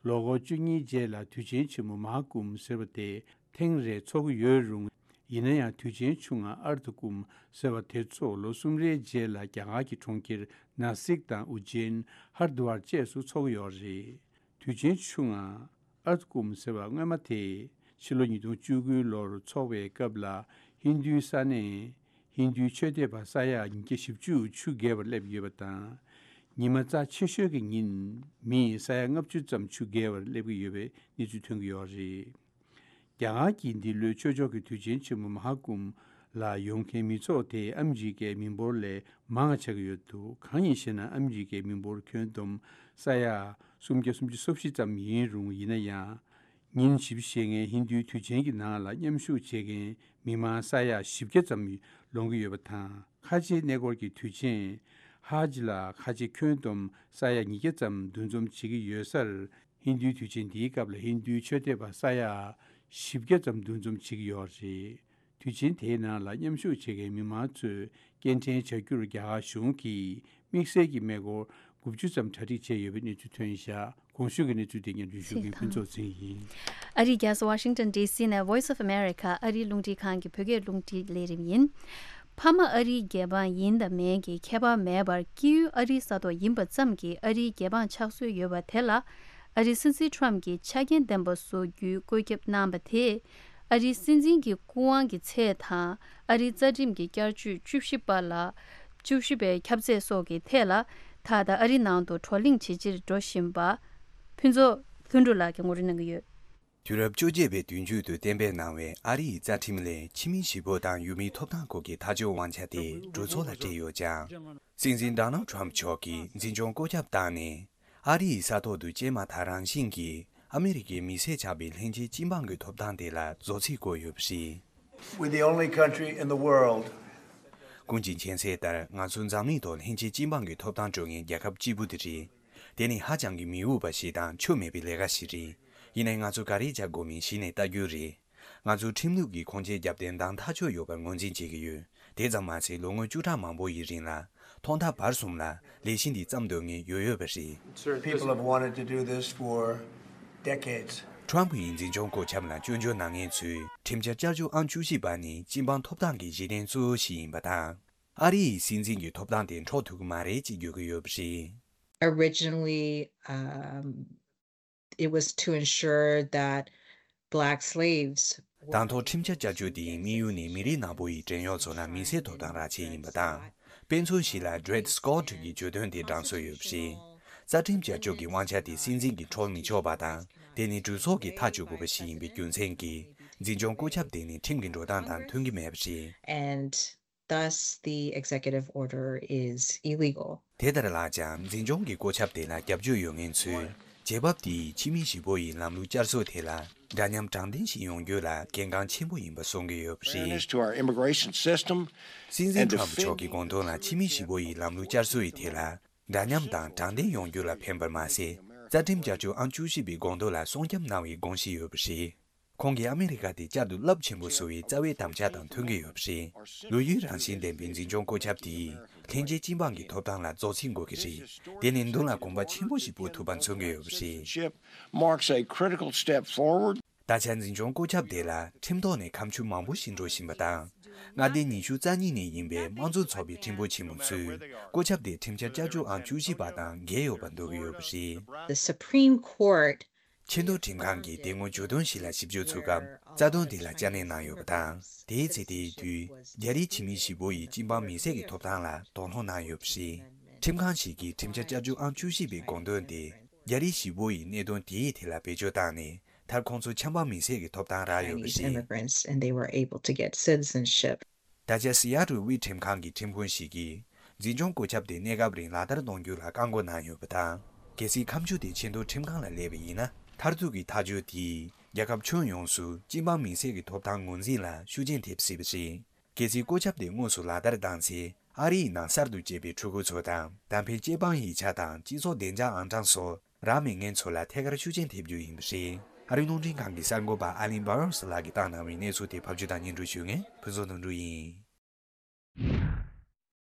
ལོ་འཁོར་བཅུ་གཉིས་རྗེས་ལ་དུས་ཆེན་ཆེན་མོ་མ་ཧཱ་ཀུམ་ཟེར་བ་དེ་ཐེངས་རེ་འཚོགས་ཀྱི་ཡོད་རུང་། ཡིན་ན་ཡང་དུས་ཆེན་ཆུང་ང་ཨར་དྷ་ཀུམ་ཟེར་བ་དེ་ཚོ་ལོ་གསུམ་རེའི་རྗེས་ལ་རྒྱ་གར་གྱི་གྲོང་ཁྱེར་ན་སིག་དང་ཨུ་ཇེན། ཧར་དུ་ཝར་བཅས་སུ་འཚོགས་ཀྱི་ཡོད་རེད། དུས་ཆེན་ཆུང་ང་ཨར་དྷ་ཀུམ་ཟེར་བ་སྔོན་མ་དེ་ཕྱི་ལོ་ཉིས་སྟོང་བཅུ་དགུའི་ལོར་འཚོགས་པའི་སྐབས་ལ་ཧིན་རྡུའི་ས་གནས་ཧིན་རྡུའི་ཆོས་དད་པ་ས་ཡ་ཉིས་བརྒྱ་བཞི་བཅུ་ཆུ་བརྒལ་བར་སླེབས་ཡོད་པ་དང་། ཉི་མ་རྩ་ཆེ་ཤོས་ཀྱི་ཉིན་མི་ས་ཡ་ལྔ་བཅུ་ཙམ་ཆུ་བརྒལ་བར་སླེབས་ཀྱི་ཡོད་པའི་གནས་ཚུལ་ཐོན་གྱི་ཡོད་རེད། རྒྱ་གར་གྱི་འདི་ལོའི་ཆོས་ཕྱོགས་ཀྱི་དུས་ཆེན་ཆེན་མོ་མ་ཧཱ་ཀུམ་ལ་ཡོང་མཁན་མི་ཚོགས་དེ་ཨ་མི་རི་ཀའི་མི་འབོར་ལས་མང་བ་ཆགས་ཀྱི་ཡོད་འདུག་གང་ཡིན་ཞེ་ན། ཨ་མི་རི་ཀའི་མི་འབོར་ཁྱོན་བསྡོམས་ས་ཡ་སུམ་བརྒྱ་སུམ་ཅུ་སོ་བཞི་ཙམ་ཡིན་རུང་། ཡིན་ན་ཡང་། ཉིན་བཞི་བཅུ་ཞེ་ལྔའི་ཧིན་རྡུའི་དུས་ཆེན་གྱི་ནང་ལ་མཉམ་ཞུགས་བྱེད་མཁན་མི་མང་ས་ཡ་བཞི་བརྒྱ་ཙམ་ལོངས་ཀྱི་ཡོད་པ་དང་། ཁ་ཆེའི་གནས་སྐོར་གྱི་དུས་ཆེན་ཧཱ་ཇི་ལ་ཁ་ཆེ་ཁྱོན་བསྡོམས་ས་ཡ་ཉིས་བརྒྱ་ཙམ་འདུ་འཛོམས་བྱེད་ཀྱི་ཡོད་སར། ཧིན་རྡུའི་དུས་ཆེན་འདིའི་སྐབས་ལ་ཧིན་རྡུའི་ཆོས་དད་པ་ས་ཡ་བཞི་བརྒྱ་ཙམ་འདུ་འཛོམས་བྱེད་ཀྱི་ཡོད་རེད། དུས་ཆེན་དེའི་ནང་ལ་མཉམ་ཞུགས་བྱེད་མཁན་མི་མང་ཚོས་སྐྱེལ་འདྲེན་བྱ་རྒྱུར་རྒྱ་གར་གཞུང་གིས་དམིགས་བསལ་གྱི་མེ་འཁོར་དགུ་བཅུ་ཙམ་གྲ་སྒྲིག་བྱས་ཡོད་པའི་གནས་ཚུལ་ཐོན་བཞག་གོང་ཞུས་ཀྱི་གནས་ཚུལ་དེ་སྙན་སྒྲོན་ཞུ་མཁན་ཕུན་ཚོགས་ཚེ་རིང་ཡིན། ཨ་རིའི་རྒྱལ་ས་ཝ་ཤིང་ཏོན་ཌི་སི་ནས་Voice of America ཨ་རིའི་རླུང་འཕྲིན་ཁང་གི་བོད་སྐད་རླུང་འཕྲིན་ལས་རིམ་ཡིན། ཕ་མ་ཨ་རིའི་རྒྱལ་འབངས་ཡིན་དང་མིན་གྱི་ཁྱད་པར་མེད་པར་སྐྱེས་ཡུལ་ཨ་རིའི་ས་ཐོག་ཡིན་པ་ཙམ་གྱིས་ཨ་རིའི་རྒྱལ་འབངས་ཆགས་སྲོལ་ཡོད་པ་དེ་ལ། ཨ་རིའི་སྲིད་འཛིན་ཁྲོམ་གྱིས་ཆ་རྐྱེན་ལྡན་པ་བཟོ་རྒྱུའི་བཀོད་ཁྱབ་གནང་བ་དེས། ཨ་རིའི་སྲིད་འཛིན་གྱི་སྐུ་དབང་གི་ཚད་དང་། ཨ་རིའི་རྩ་ཁྲིམས་ཀྱི་བསྐྱར་བཅོས་བཅུ་བཞི་པ་ལ། བཅུ་བཞི་པའི་ཁྱབ་ཚད་སོགས་ཀྱི་ཐད་ལ་ད་ལྟ་ཨ་རིའི་ནང་དུ་བགྲོ་གླེང་ཇེ་ཆེར་འགྲོ་བཞིན་པ་ཕུན་ཚོགས་ལྷུན་གྲུབ་ལགས་ཀྱིས་ངོ་སྤྲོད་གནང་གི་ཡོད། དུས་རབས་བཅོ་བརྒྱད་པའི་དུས་མཇུག་ཏུ་གཏན་འབེབས་གནང་བའི་ཨ་རི་ཡི་རྩ་ཁྲིམས་ལས་ཕྱི་མི་གཞིས་སྤོ་དང་ཡུལ་མིའི་ཐོབ་ཐང་སྐོར་གྱི་ཐག་གཅོད་དབང་ཆ་དེ་གྲོས་ཚོགས་ལ་སྤྲད་ཡོད་ཀྱང་། སྲིད་འཛིན་ཌོ་ནལ་ཌི་ཊརམ་ཕི་མཆོག་གིས་འཛིན་སྐྱོང་བཀོད་ཁྱབ་བཏང་ནས། ཨ་རི་ཡི་ས་ཐོག་ཏུ་སྐྱེས་མ་ཐག་རང་བཞིན་གྱིས་ཨ་མི་རི་ཀའི་མི་སེར་ཆགས་པའི་ལྷན་སྐྱེས་སྤྱི་འབངས་ཀྱི་ཐོབ་ཐང་དེ་ལ་རྫོགས་ཚིག་བཀོད་ཡོད་པ་རེད། We're the only country in the world. ཀུན་གྱིས་མཁྱེན་གསལ་ལྟར་ང་ཚོ་འཛམ་གླིང་ཐོག་ལྷན་སྐྱེས་སྤྱི་འབངས་ཀྱི་ཐོབ་ཐང་སྤྲོད་མཁན་རྒྱལ་ཁབ་གཅིག་པུ་དེ་རེད། དེ་ནི་ཧ་ཅང་གི་མི་འོས་པ་ཞིག་དང་ཆོ་མེད་པའི་ལས་ཀ་ཞིག་རེད། ཡིན་ནའི་ང་ཚོ་ག་རེ་བྱ་དགོས་མིན་གཞི་ནས་ལྟ་རྒྱུ་རེད། ང་ཚོ་ཁྲིམས་ལུགས་ཀྱི་ཁུངས་སྐྱེལ་རྒྱབ་སྟེ་འདང་ཐག་ཆོད་ཡོད་པར་ངོས་འཛིན་བྱེད་ཀྱི་ཡོད། དེ་ཙམ་མ་ཟད་ལོ་ངོ་བཅུ་ཕྲག་མང་པོ་ཡི་རིང་ལ་ཐོག་མཐའ་བར་གསུམ་ལ་ལས་གཞི་འདི་བརྩམས་འདོད་མཁན་ཡོད་ཡོད་པ་རེད། People have wanted to do this for decades. ཊརམ་ཕི་ཡི་འཛིན་སྐྱོང་བཀོད་ཁྱབ་ལ་སྐྱོན་བརྗོད་གནང་མཁན་ཚོས་ཁྲིམས་འཆར་བསྐྱར་བཅོས་ཨང་བཅུ་བཞི་པ་ནི་སྤྱི་འབངས་ཐོབ་ཐང་གི་གཞི་རྟེན་གཙོ་བོ་ཞིག་ཡིན་པ་དང་། ཨ་རི་ཡི་སྲིད་འཛིན་གྱི་ཐོབ་ཐང་དེ་འཕྲོག་ཐུབ་ཀྱི་མ་རེད་ཅེས་བརྗོད་ཀྱི་ཡོད་པ་རེད། Originally, um, it was to ensure that black slaves were དང་ཐོག་ཁྲིམས་འཆར་བསྐྱར་བཅོས་དེའི་དམིགས་ཡུལ་ནི་མི་རིགས་ནག་པོ་ཡི་བྲན་གཡོག་ཚོ་ལ་མི་སེར་ཐོབ་ཐང་རག་ཆེད་ཡིན་པ་དང་། དཔེ་མཚོན་ཞིག་ལ་Dred Scott གྱིས་བརྗོད་དོན་དེ་དྲང་སྲོལ་ཡོད་པ་རེད། རྩ་ཁྲིམས་བསྐྱར་བཅོས་ཀྱི་དབང་ཆ་དེ་སྲིད་འཛིན་གྱིས་འཕྲོག་མི་ཆོག་པ་དང་། དེ་ནི་གྲོས་ཚོགས་ཀྱིས་ཐག་གཅོད་དགོས་པ་ཞིག་ཡིན་པའི་རྒྱུ་མཚན་གྱིས། འཛིན་སྐྱོང་བཀོད་ཁྱབ་དེ་ནི་ཁྲིམས་ཀྱི་འགྲོ་སྟངས་དང་མཐུན་གྱི་མེད་པ་རེད། And thus the executive order is illegal. དེ་ལྟར་ལགས་ཀྱང་འཛིན་སྐྱོང་གི་བཀོད་ཁྱབ་དེ་ལ་རྒྱབ་སྐྱོར་ཡོད་མཁན་ཚོས། རྒྱལ་བབ་དེ་ཡིས་ཕྱི་མི་གཞིས་སྤོ་ཡི་ལམ་ལུགས་བསྐྱར་གསོ་དེ་ལ་འདྲ་མཉམ་དྲང་བདེན་ཞིག་ཡོང་རྒྱུ་ལ་གལ་འགངས་ཆེན་པོ་ཡིན་པ་གསུང་གི་ཡོད་པ་རེད། Fairness to our immigration system སྲིད་འཛིན་and ཊརམ་ཕི་མཆོག་གི་དགོངས་དོན་ལ་ཕྱི་མི་གཞིས་སྤོ་ཡི་ལམ་ལུགས་བསྐྱར་གསོ་ཡི་ཐད་ལ་འདྲ་མཉམ་དང་དྲང་བདེན་ཡོང་རྒྱུ་ལ་ཕན་པར་མ་ཟད། རྩ་ཁྲིམས་བསྐྱར་བཅོས་ཨང་བཅུ་བཞི་པའི་དགོངས་དོན་ལ་སྲུང་སྐྱོབ་གནང་བའི་དགོངས་གཞི་ཡོད་པ་རེད། ཁོང་གིས་ཨ་མི་རི་ཀ་དེ་བསྐྱར་དུ་རླབས་ཆེན་པོ་བཟོ་བའི་རྩ་བའི་དམ་བཅའ་དང་མཐུན་གྱི་ཡོད་པ་རེད། ལོ་རྒྱུས་རང་བཞིན་ལྡན་པའི་འཛིན་སྐྱོང་བཀོད་ཁྱབ་དེས་ལྷན་སྐྱེས་སྤྱི་འབངས་ཀྱི་ཐོབ་ཐང་ལ་རྫོགས་ཚིག་འགོད་ཀྱི་རེད། དེ་ནི་མདུན་ལ་གོམ་པ་ཆེན་པོ་ཞིག་སྤོ་ཐུབ་པ་མཚོན་གྱི་ཡོད་པ་རེད། Citizenship marks a critical step forward. ད་ཆ་འཛིན་སྐྱོང་བཀོད་ཁྱབ་དེ་ལ་ཁྲིམས་ཐོག་ནས་ཁ་མཆུ་མང་པོ་ཞིག་འགྲོ་བཞིན་པ་དང་། མངའ་སྡེ་ཉི་ཤུ་རྩ་གཉིས་ནས་ཡིན་པའི་དམངས་གཙོ་ཚོགས་པའི་ཁྲིམས་དཔོན་ཆེན་མོ་ཚོས་བཀོད་ཁྱབ་དེ་ཁྲིམས་འཆར་བསྐྱར་བཅོས་ཨང་བཅུ་བཞི་པ་དང་འགལ་ཡོད་པ་འདོད་ཀྱི་ཡོད་པ་རེད། The Supreme Court ཆེས་མཐོའི་ཁྲིམས་ཁང་གིས་དེ་སྔོན་བརྗོད་དོན་ཞིག་ལ་ཞིབ་འཇུག་ཚུགས་སྐབས་རྩ་དོན་དེ་ལ་བསྐྱར་ནན་གནང་ཡོད་པ་དང་། དེའི་ཚེ་དེའི་དུས་རྒྱ་རིགས་ཕྱི་མི་གཞིས་སྤོ་ཡི་སྤྱི་འབངས་མི་སེར་གྱི་ཐོབ་ཐང་ལ་དོགས་སློང་གནང་ཡོད་པ་རེད། ཁྲིམས་ཁང་ཞིག་གིས་ཁྲིམས་འཆར་བསྐྱར་བཅོས་ཨང་བཅུ་བཞི་པའི་དགོངས་དོན་ེ་རྒྱ་རིགས་གཞིས་སྤོ་ཡི་གནད་དོན་དེའི་ཐད་ལ་བེད་སྤྱོད་བཏང་ནས། མཐར་ཁོང་ཚོ་ཆབ་འབངས་མི་སེར་གྱི་ཐོབ་ཐང་རག་ཡོད་པ་Chinese རེད། Immigrants, and they were able to get citizenship. ད་ཆ་སི་ཡ་ཊལ་དབུས་ཁྲིམས་ཁང་གི་ཁྲིམས་དཔོན་ཞིག་གིས། འཛིན་སྐྱོང་བཀོད་ཁྱབ་དེ་གནས་སྐབས་རིང་ལག་བསྟར་གཏོང་རྒྱུ་ལ་བཀག་འགོག་གནང་ཡོད་པ་དང་། གལ་སྲིད་ཁ་མཆུ་དེ་ཆེས་མཐོའི་ཁྲིམས་ཁང་ལ་སླེབས་པ་ཡིན་ན། མཐར་ཐུག་གི་ཐག་གཅོད་དེས་རྒྱལ་ཁབ་ཁྱོན་ཡོངས་སུ་སྤྱི་འབངས་མི་སེར་གྱི་ཐོབ་ཐང་ངོས་འཛིན་ལ་ཤུགས་རྐྱེན་ཐེབས་སྲིད་པ་རེད། གལ་སྲིད་བཀོད་ཁྱབ་དེ་དངོས་སུ་ལག་བསྟར་བཏང་ཚེ། ཨ་རི་ཡི་ནང་གསར་དུ་སྐྱེས་པའི་ཕྲུ་གུ་ཚོ་དང་། ད་ཕན་སྐྱེས་པའི་ཡིག་ཆ་དང་སྤྱི་ཚོགས་བདེ་འཇགས་ཨང་གྲངས་སོགས། རག་མེད་མཁན་ཚོ་ལ་ཐད་ཀར་ཤུགས་རྐྱེན་ཐེབས་རྒྱུ་ཡིན་པ་རེད། ཨ་རིའི་རླུང་འཕྲིན་ཁང་གི་གསར་འགོད་པ་ཨ་ལིན་བྷ་རོས་ལགས་ཀྱིས་བཏང་གནང་བའི་གནས་ཚུལ་དེ་ཕབ་སྒྱུར་དང་སྙན་སྒྲོན་ཞུ་མཁན་ཕུན་ཚོགས་དོན་གྲུབ་ཡིན།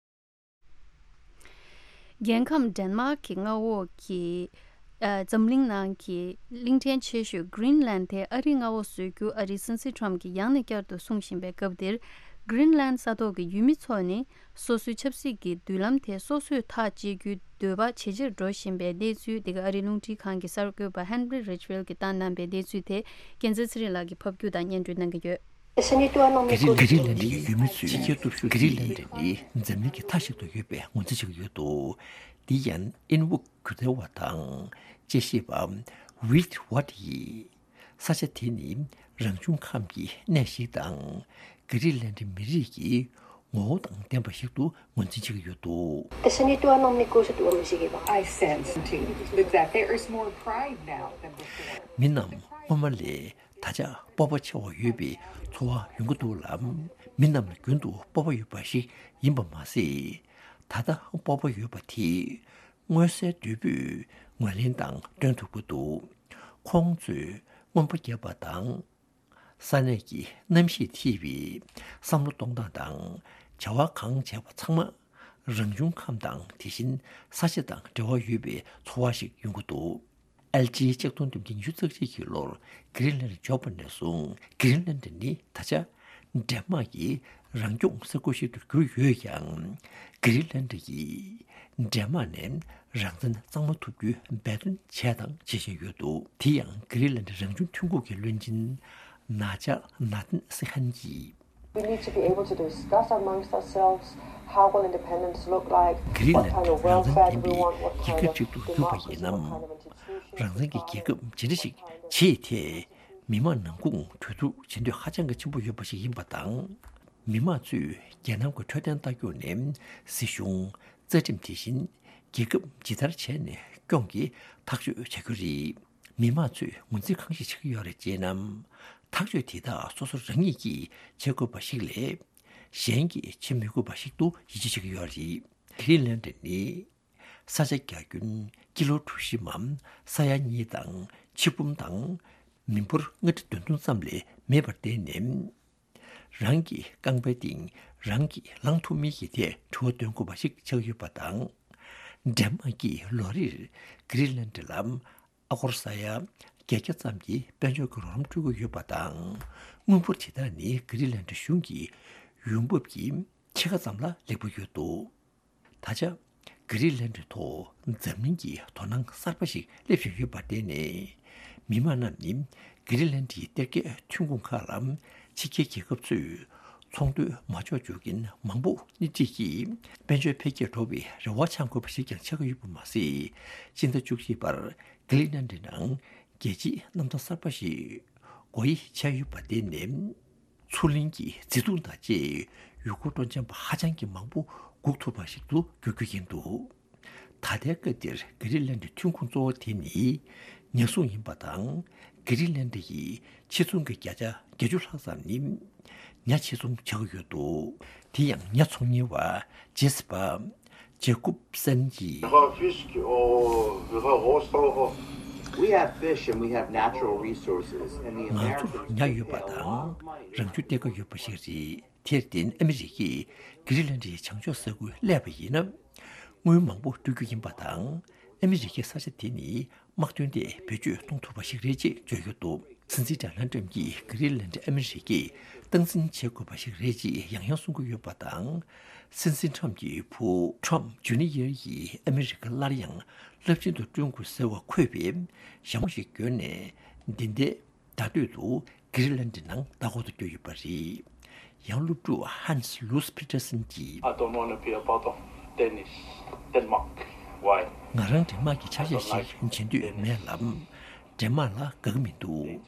རྒྱལ་ཁམས་ཌེན་མཱག་གི་མངའ་འོག་གི་ཨ་འཛམ་གླིང་ནང་གི་གླིང་ཕྲན་ཆེ་ཤོས་Greenland་དེ་ཨ་རིའི་མངའ་འོག་བཟོ་རྒྱུ་ཨ་རིའི་སྲིད་འཛིན་ཊརམ་གྱིས་ཡང་ནས་བསྐྱར་དུ་གསུངས་བཞིན་པའི་སྐབས་འདིར། Greenland་ས་ཐོག་གི་ཡུལ་མི་ཚོ་ནི། སོ་སོའི་ཆབ་སྲིད་ཀྱི་མདུན་ལམ་དེ་སོ་སོས་ཐག་གཅད་རྒྱུའི་འདོད་པ་ཇེ་ཆེར་འགྲོ་བཞིན་པའི་གནས་ཚུལ་དེ་ག་ཨ་རིའི་རླུང་འཕྲིན་ཁང་གི་གསར་འགོད་པ་Henry Ridgwell་གྱིས་བཏང་གནང་པའི་གནས་ཚུལ་དེ་རྒྱལ་མཚན་ཚེ་རིང་ལགས་ཀྱིས་ཕབ་སྒྱུར་དང་སྙན་སྒྲོན་གནང་གི་ཡོད། གྷི་རི་ལན་ཌི་ཡི་ཡུལ་མི་ཚོས་གྷི་རི་ལན་ཌི་ནི་འཛམ་གླིང་གི་མཐའ་ཞིག་ཏུ་ཡོད་པའི་ངོས་འཛིན་བྱེད་ཀྱི་ཡོད་འདུག་འདི་ཡང་ཨིན་ཝུག་གྱུར་ཟླ་བ་དང་དཔྱད་ཞིབ་པ་Wade Ward་ཡིས། ས་ཆ་དེ་ནི་རང་བྱུང་ཁམས་ཀྱི་གནས་ཤིག་དང་། གྷི་རི་ལན་ཌི་མི་རིགས་ཀྱི་ངོ་བོ་དང་ལྡན་པ་ཞིག་ཏུ་ངོས་འཛིན་བྱེད་ཀྱི་ཡོད་འདུག Te seni tuan on mi kusu tuo mi sigi ba. I sense that there is more pride now than before. མི་རྣམས་སྔོན་མ་ལས་ད་ཆ་སྤོབས་པ་ཆེ་བ་ཡོད་པའི་ཚོར་བ་ཡོང་གི་འདུག་ལ། མི་རྣམས་ལ་རྒྱུན་དུ་སྤོབས་པ་ཡོད་པ་ཞིག་ཡིན་པ་མ་ཟད། ད་ལྟ་སྤོབས་པ་ཡོད་པ་དེ། མངོན་གསལ་དོད་པོས་ངོས་ལེན་དང་སྟོན་ཐུབ་ཀྱི་འདུག་ཁོང་ཚོས་རྔོན་པ་བརྒྱབ་པ་དང་། ས་གནས་ཀྱི་གནམ་གཤིས་ཐེ་བའི་བསམ་བློ་གཏོང་སྟངས་དང་བྱ་བ་གང་བྱས་པ་ཚང་མ་རང་བྱུང་ཁམས་དང་དེ་བཞིན་ས་ཆ་དང་འབྲེལ་བ་ཡོད་པའི་ཚོར་བ་ཞིག་ཡོང་གི་འདུག་ཨེལ་ལྕི་ཆིག་སྟོང་བདུན་བརྒྱ་ཉི་ཤུ་རྩ་གཅིག་གི་ལོར་གྷི་རིན་ལན་ཌི་འབྱོར་བ་ནས་བཟུང་གྷི་རིན་ལན་ཌི་ནི་ད་ཆ་ཌེན་མཱག་གི་རང་སྐྱོང་ས་ཁུལ་ཞིག་ཏུ་གྱུར་ཡོད་ཀྱང་། གྷི་རིན་ལན་ཌི་ཡིས་ཌེན་མཱག་ནས་རང་བཙན་གཙང་མ་ཐོབ་རྒྱུའི་འབད་བརྩོན་བྱས་དང་བྱེད་བཞིན་ཡོད་འདུག་དེ་ཡང་གྷི་རིན་ལན་ཌི་རང་བྱུང་ཐོན་ཁུངས་ཀྱི་བློན་ཆེན་ནཱ་ཇཱ་ནཱ་ཐན་སི་ཧན་གྱིས། We need to be able to discuss amongst ourselves how will independence look like, what kind of welfare do we want, what kind of democracy, what kind of institutions, what kind of institutions. གཞན་གྱིས་བྱེད་མི་དགོས་པ་ཞིག་ཏུ་ཡིད་ཆེས་བྱེད་ཀྱི་ཡོད་རེད། གྷི་རི་ལན་ཌི་ནི་ས་ཆ་རྒྱ་ཁྱོན་ཀི་ལོ་གྲུ་བཞི་འམ་ས་ཡ་གཉིས་དང་ཆིག་འབུམ་དང་མི་འབོར་ལྔ་ཁྲི་བདུན་སྟོང་ཙམ་ལས་མེད་པར་བརྟེན་ནས། རང་གི་རྐང་པའི་སྟེང་རང་གིས་ལངས་ཐུབ་མིན་གྱི་ཐད་དྲི་བ་འདོན་དགོས་པ་ཞིག་ཆགས་ཡོད་པ་དང་། ཌེན་མཱག་གིས་ལོ་རེར་གྷི་རི་ལན་ཌི་ལ་ཨ་སྒོར་ས་ཡ་བརྒྱད་བརྒྱ་ཙམ་གྱི་དཔལ་འབྱོར་གྱི་རོགས་རམ་སྤྲོད་ཀྱི་ཡོད་པ་དང་། དངུལ་འབོར་དེ་དག་ནི་གྷི་རི་ལན་ཌི་གཞུང་གི་ཡོང་འབབ་ཀྱི་ཕྱེད་ཀ་ཙམ་ལ་སླེབས་ཀྱི་ཡོད་འདུག་ད་ཆ་གྷི་རི་ལན་ཌི་ཐོག་འཛམ་གླིང་གི་དོ་སྣང་གསར་པ་ཞིག་སླེབས་བཞིན་ཡོད་པར་བརྟེན་ནས། མི་མང་རྣམས་ནི་གྷི་རི་ལན་ཌིའི་གཏེར་ཁའི་ཐོན་ཁུངས་ཁག་ལ་ཕྱི་རྒྱལ་རྒྱལ་ཁབ་ཚོས་ཚོང་དོན་མ་འཇོག་འཇོག་མཁན་མང་པོ་སྣེ་ཁྲིད་ཀྱིས་དཔལ་འབྱོར་འཕེལ་རྒྱས་འགྲོ་བའི་རེ་བ་འཆང་དགོས་པ་ཞིག་ཀྱང་ཆགས་ཀྱི་ཡོད་པ་མ་ཟད། སྤྱི་ཟླ་བཅུ་གཅིག་པར་གྷི་རི་ལན་ཌི་ནང་རྒྱལ་སྤྱིའི་གནམ་ཐང་གསར་པ་ཞིག་སྒོ་དབྱེ་འཆར་ཡོད་པར་བརྟེན་ནས། མཚོ་གླིང་གི་མཛེས་སྡུག་དང་བཅས་ཡུལ་སྐོར་སྤྲོ་འཆམ་པ་ཧ་ཅང་གི་མང་པོ་སྒུག་ཐུབ་པ་ཞིག་ཏུ་འགྱུར་རྒྱུ་ཡིན་འདུག་ད་ལྟའི་སྐབས་འདིར་གྷི་རི་ལན་ཌིའི་ཐོན་ཁུངས་གཙོ་བོ་དེ་ནི་ཉ་ཟོང་ཡིན་པ་དང་། གྷི་རི་ལན་ཌི་ཡི་ཕྱི་ཚོང་གི་བརྒྱ་ཆ་བརྒྱད་ཅུ་ལྷག་ཙམ་ནི་ཉ་ཕྱི་ཚོང་བྱ་དགོས་ཡོད་འདུག་དེ་ཡང་ཉ་ཚོང་གཉེར་བ་ཇེ་སི་པ། ཇེ་ཀུབ་སན་གྱིས། Wir haben Fisch, oh, wir haben Rohstoffe. We have fish and we have natural resources, and the Americans ང་ཚོར་ཉ་ཡོད་པ་དང་རང་བྱུང་གཏེར་ཁ་ཡོད་པ་ཞིག་རེད། དེར་བརྟེན་ཨ་མི་རི་ཀས་གྷི་རི་ལན་ཌིའི་བྱང་ཕྱོགས་ས་ཁུལ་གླས་པ་ཡིན་ན། དངུལ་མང་པོ་སྤྲོད་རྒྱུ་ཡིན་པ་དང་། ཨ་མི་རི་ཀས་ས་ཆ་དེ་ནི་དམག་དོན་ཐད་བེད་སྤྱོད་གཏོང་ཐུབ་པ་ཞིག་རེད་ཅེས་བརྗོད་ཡོད་འདུག་སྲིད་འཛིན་ཌོ་ནལ་ཊམ་གྱིས་གྷི་རི་ལན་ཌི་ཨ་མི་རི་ཀས་སྟངས་འཛིན་བྱེད་དགོས་པ་ཞིག་རེད་ཅེས་ཡང་ཡང་གསུང་གི་ཡོད་པ་དང་། སྲིད་འཛིན་ཊམ་གྱི་བུ་ཊམ་ཇུ་ནི་ཡར་ཡིས་ཨ་མི་རི་ཀ་སླར་ཡང་རླབས་ཆེན་དུ་བསྐྲུན་དགོས་ཟེར་བ་འཁོད་པའི་ཞྭ་མོ་ཞིག་གྱོན་ནས་འདི་ཟླའི་ཟླ་སྟོད་དུ་གྷི་རི་ལན་ཌི་ནང་ལྟ་སྐོར་དུ་བསྐྱོད་ཡོད་པ་རེད། ཡང་སློབ་ཕྲུག་ཧན་སི་ལུས་པི་ཊར་སན་གྱིས། I don't want to be a part of Dennis, Denmark. Why? ང་རང་ཌེན་མཱག་གི་ཆ་ཤས་ཤིག་བྱེད་འདོད་མེད་ལ། ཌེན་མཱག་ལ་དགའ་གི་མི་འདུག་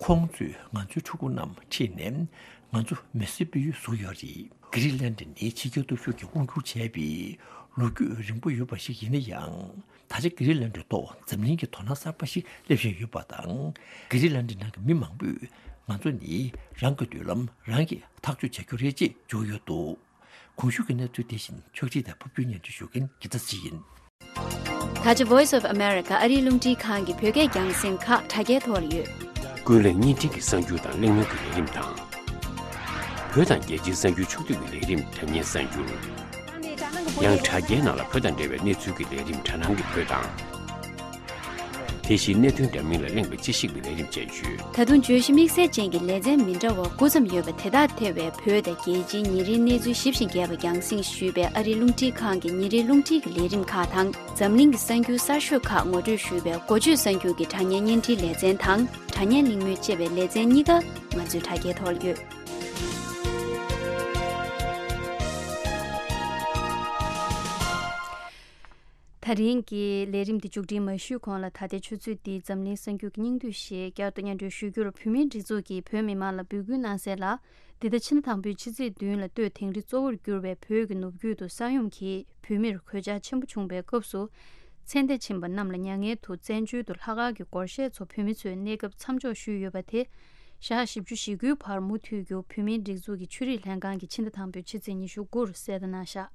ཁོང་ཚོས་ང་ཚོའི་ཕྲུ་གུ་རྣམས་ཁྲིད་ནས་ང་ཚོ་མི་སེར་སྤེལ་ཡུལ་བཟོས་ཡོད་རེད། གྷི་རི་ལན་ཌི་ནི་ཕྱི་རྒྱལ་སྟོབས་ཤུགས་ཀྱིས་དབང་བསྒྱུར་བྱས་པའི་ལོ་རྒྱུས་རིང་པོ་ཡོད་པ་ཞིག་ཡིན་ན་ཡང་། ད་ཆ་གྷི་རི་ལན་ཌི་ཐོག་འཛམ་གླིང་གི་དོ་སྣང་གསར་པ་ཞིག་སླེབས་བཞིན་ཡོད་པ་དང་། གྷི་རི་ལན་ཌི་ནང་གི་མི་མང་པོས་ང་ཚོ་ནི་རང་གི་མདུན་ལམ་རང་གིས་ཐག་གཅོད་བྱ་རྒྱུ་རེད་ཅེས་བརྗོད་ཡོད་འདུག་གོང་ཞུས་ཀྱི་གནས་ཚུལ་དེ་བཞིན་ཕྱོགས་སྒྲིག་དང་ཕབ་སྒྱུར་སྙན་སྒྲོན་ཞུ་མཁན་དགེ་རྩ་ཚེ་རིང་ཡིན། ད་ཆ་Voice of America ཨ་རིའི་རླུང་འཕྲིན་ཁང་གི་བོད་སྐད་རྒྱང་སྲིང་ཁག་དྲ་རྒྱའི་ཐོག་ལ་ཡོད། ཀུན་གླེང་བརྙན་འཕྲིན་གྱི་གསར་འགྱུར་དང་གླེང་མོལ་གྱི་ལས་རིམ་དང་། བོད་དང་རྒྱལ་སྤྱིའི་གསར་འགྱུར་ཕྱོགས་བསྡུས་ཀྱི་ལས་རིམ་དྲ་བརྙན་གསར་འགྱུར། ཡང་དྲ་རྒྱའི་ནང་ལ་བོད་དང་འབྲེལ་བའི་གནས་ཚུལ་གྱི་ལས་རིམ་དྲ་སྣང་གི་བོད་དང་། དེ་བཞིན་གནད་དོན་འདྲ་མིན་ལ་གླེང་བའི་དཔྱད་ཞིབ་ཀྱི་ལས་རིམ་བཅས་ཡོད། ད་དུང་བརྗོད་གཞི་དམིགས་བསལ་ཅན་གྱི་ལེ་ཚན་མི་འདྲ་བ་དགུ་ཙམ་ཡོད་པ་དེ་དག་ཐེ་བའི་བོད་དང་རྒྱལ་སྤྱིའི་ཉིན་རེའི་གནས་ཚུལ་ཞིབ་ཅིང་རྒྱས་པ་རྒྱང་སྲིང་ཞུས་པའི་ཨ་རིའི་རླུང་འཕྲིན་ཁང་གི་ཉིན་རེའི་རླུང་འཕྲིན་གྱི་ལས་རིམ་ཁག་དང་། འཛམ་གླིང་གི་གསར་འགྱུར་གསར་ཤོས་ཁག་ངོ་སྤྲོད་ཞུས་པའི་འགོ་བརྗོད་གསར་འགྱུར་གྱི་དྲ་བརྙན་བརྙན་འཕྲིན་ལེ་ཚན་དང་། དྲ་བརྙན་གླེང་མོལ་ཅེས་པའི་ལེ་ཚན་གཉིས་ཀ་ང་ཚོའི་དྲ་རྒྱའི་ཐོག་ལ་ཡོད། ད་རིང་གི་ལས་རིམ་འདི་མཇུག་སྒྲིལ་མ་ཞུས་གོང་ལ། ད་ལྟའི་ཆུ་ཚོད་འདིའི་འཛམ་གླིང་གསར་འགྱུར་གྱི་སྙིང་བསྡུས་ཤིག་བསྐྱར་དུ་སྙན་སྒྲོན་ཞུ་རྒྱུར། བོད་མིའི་སྒྲིག་འཛུགས་ཀྱིས་བོད་མི་མང་ལ་འབོད་སྐུལ་གནང་གསལ་ལ། འདི་ཟླ་ཕྱི་ཟླ་དང་པོའི་ཕྱི་ཚེས་བདུན་ལ་སྟོད་དིང་རི་གཙོ་བོར་གྱུར་པའི་བོད་ཀྱི་ནུབ་རྒྱུད་དུ་ས་ཡོམ་གྱིས་བོད་མིར་གོད་ཆག་ཆེན་པོ་བྱུང་བའི་སྐབས་སུ། ཚེ་འདས་ཕྱིན་པ་རྣམས་ལ་མྱ་ངན་དུ་བཙན་བྱོལ་དུ་ལྷག་དཀར་གྱི་སྒོར་གཞས་ཚོ་བོད་མི་ཚོས་གནས་སྐབས་མཚམས་འཇོག་ཞུས་ཡོད་པ་དེ། ཞག་བཞི་བཅུ་ཞེ་དགུའི་བར་མུ་མཐུད་རྒྱུ་བོད་མིའི་སྒྲིག་འཛུགས་ཀྱི་ཆོས་རིག་ལྷན་ཁང་གིས་ཕྱི་ཟླ་དང་པོའི་ཕྱི་ཚེས་ཉི་ཤུ་དགུ་རུ་གསལ་བརྡ་གནང་བཞག་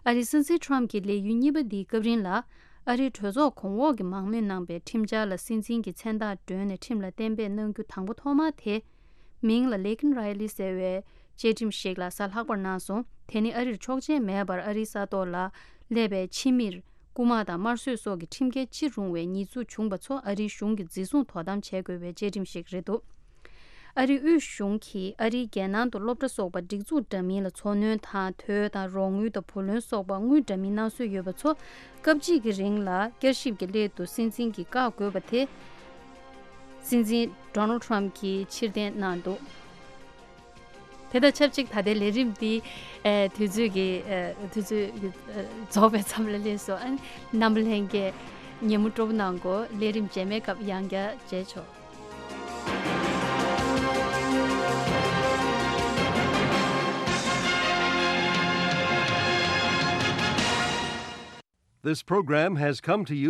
ཨ་རིའི་སྲིད་འཛིན་ཁྲོམ་གྱི་ལས་ཡུན་གཉིས་པ་འདིའི་སྐབས་རིང་ལ། ཨ་རིའི་གྲོས་ཚོགས་གོང་འོག་གི་མང་མོས་གནང་པའི་ཁྲིམས་འཆར་ལ་སྲིད་འཛིན་གྱི་མཚན་རྟགས་སྒྲོན་ནས་ཁྲིམས་ལ་གཏན་འབེབས་གནང་རྒྱུ་དང་པོ་ཐོག་མ་དེ། མིང་ལ་ལེ་ཀིན་རའི་ལི་ཟེར་བའི་བཅའ་ཁྲིམས་ཤིག་ལ་གཟའ་ལྷག་པར་གནང་སོང་། དེ་ནི་ཨ་རིར་ཆོག་མཆན་མེད་པར་ཨ་རིའི་ས་ཐོག་ལ་སླེབས་པའི་ཕྱི་མིར། རྐུ་མ་དང་དམར་གསོད་སོགས་ཀྱི་ཁྲིམས་འགལ་ཅི་རུང་བའི་ཉེས་འཛུགས་བྱུང་པ་ཚོ་ཨ་རིའི་གཞུང་གིས་འཛིན་བཟུང་དོ་དམ་བྱེད་དགོས་པའི་བཅའ་ཁྲིམས་ཤིག་རེད་འདུག་ཨ་རིའི་དབུས་གཞུང་གིས་ཨ་རིའི་རྒྱལ་ནང་དུ་སློབ་གྲྭ་སོགས་པར་སྒྲིག་འཛུགས་འདྲ་མིན་ལ་འཚོ་སྣོན་དང་། དོས་དང་རོགས་དངུལ་དང་བུ་ལོན་སོགས་པ་དངུལ་འདྲ་མིན་གནང་སྲོལ་ཡོད་པ་ཚོ་སྐབས་གཅིག་གི་རིང་ལ་བསྐྱར་ཞིབ་ཀྱི་སླད་དུ་སྲིད་འཛིན་གྱིས་བཀག་དགོས་པ་དེ། སྲིད་འཛིན་ཌོ་ནལ་ཌི་ཊརམ་ཕི་གྱིས་ཕྱིར་འཐེན་གནང་འདུག་དེ་དང་ཆབས་ཅིག་ད་ལྟའི་ལས་རིམ་འདི་ཨེ་དུས་ཚོད་ཀྱི་ཨེ་དུས་ཚོད་ཀྱི་ཨེ་རྫོགས་པའི་མཚམས་ལ་སླེབས་སོང་། ཨ་ནི་རྣམ་པ་ལྷན་རྒྱས་ཉན་མོ་སྤྲོ་པོ་གནང་གོ། ལས་རིམ་རྗེས་མའི་སྐབས་ཡང་བསྐྱར་མཇལ་ཆོག། This program has come to you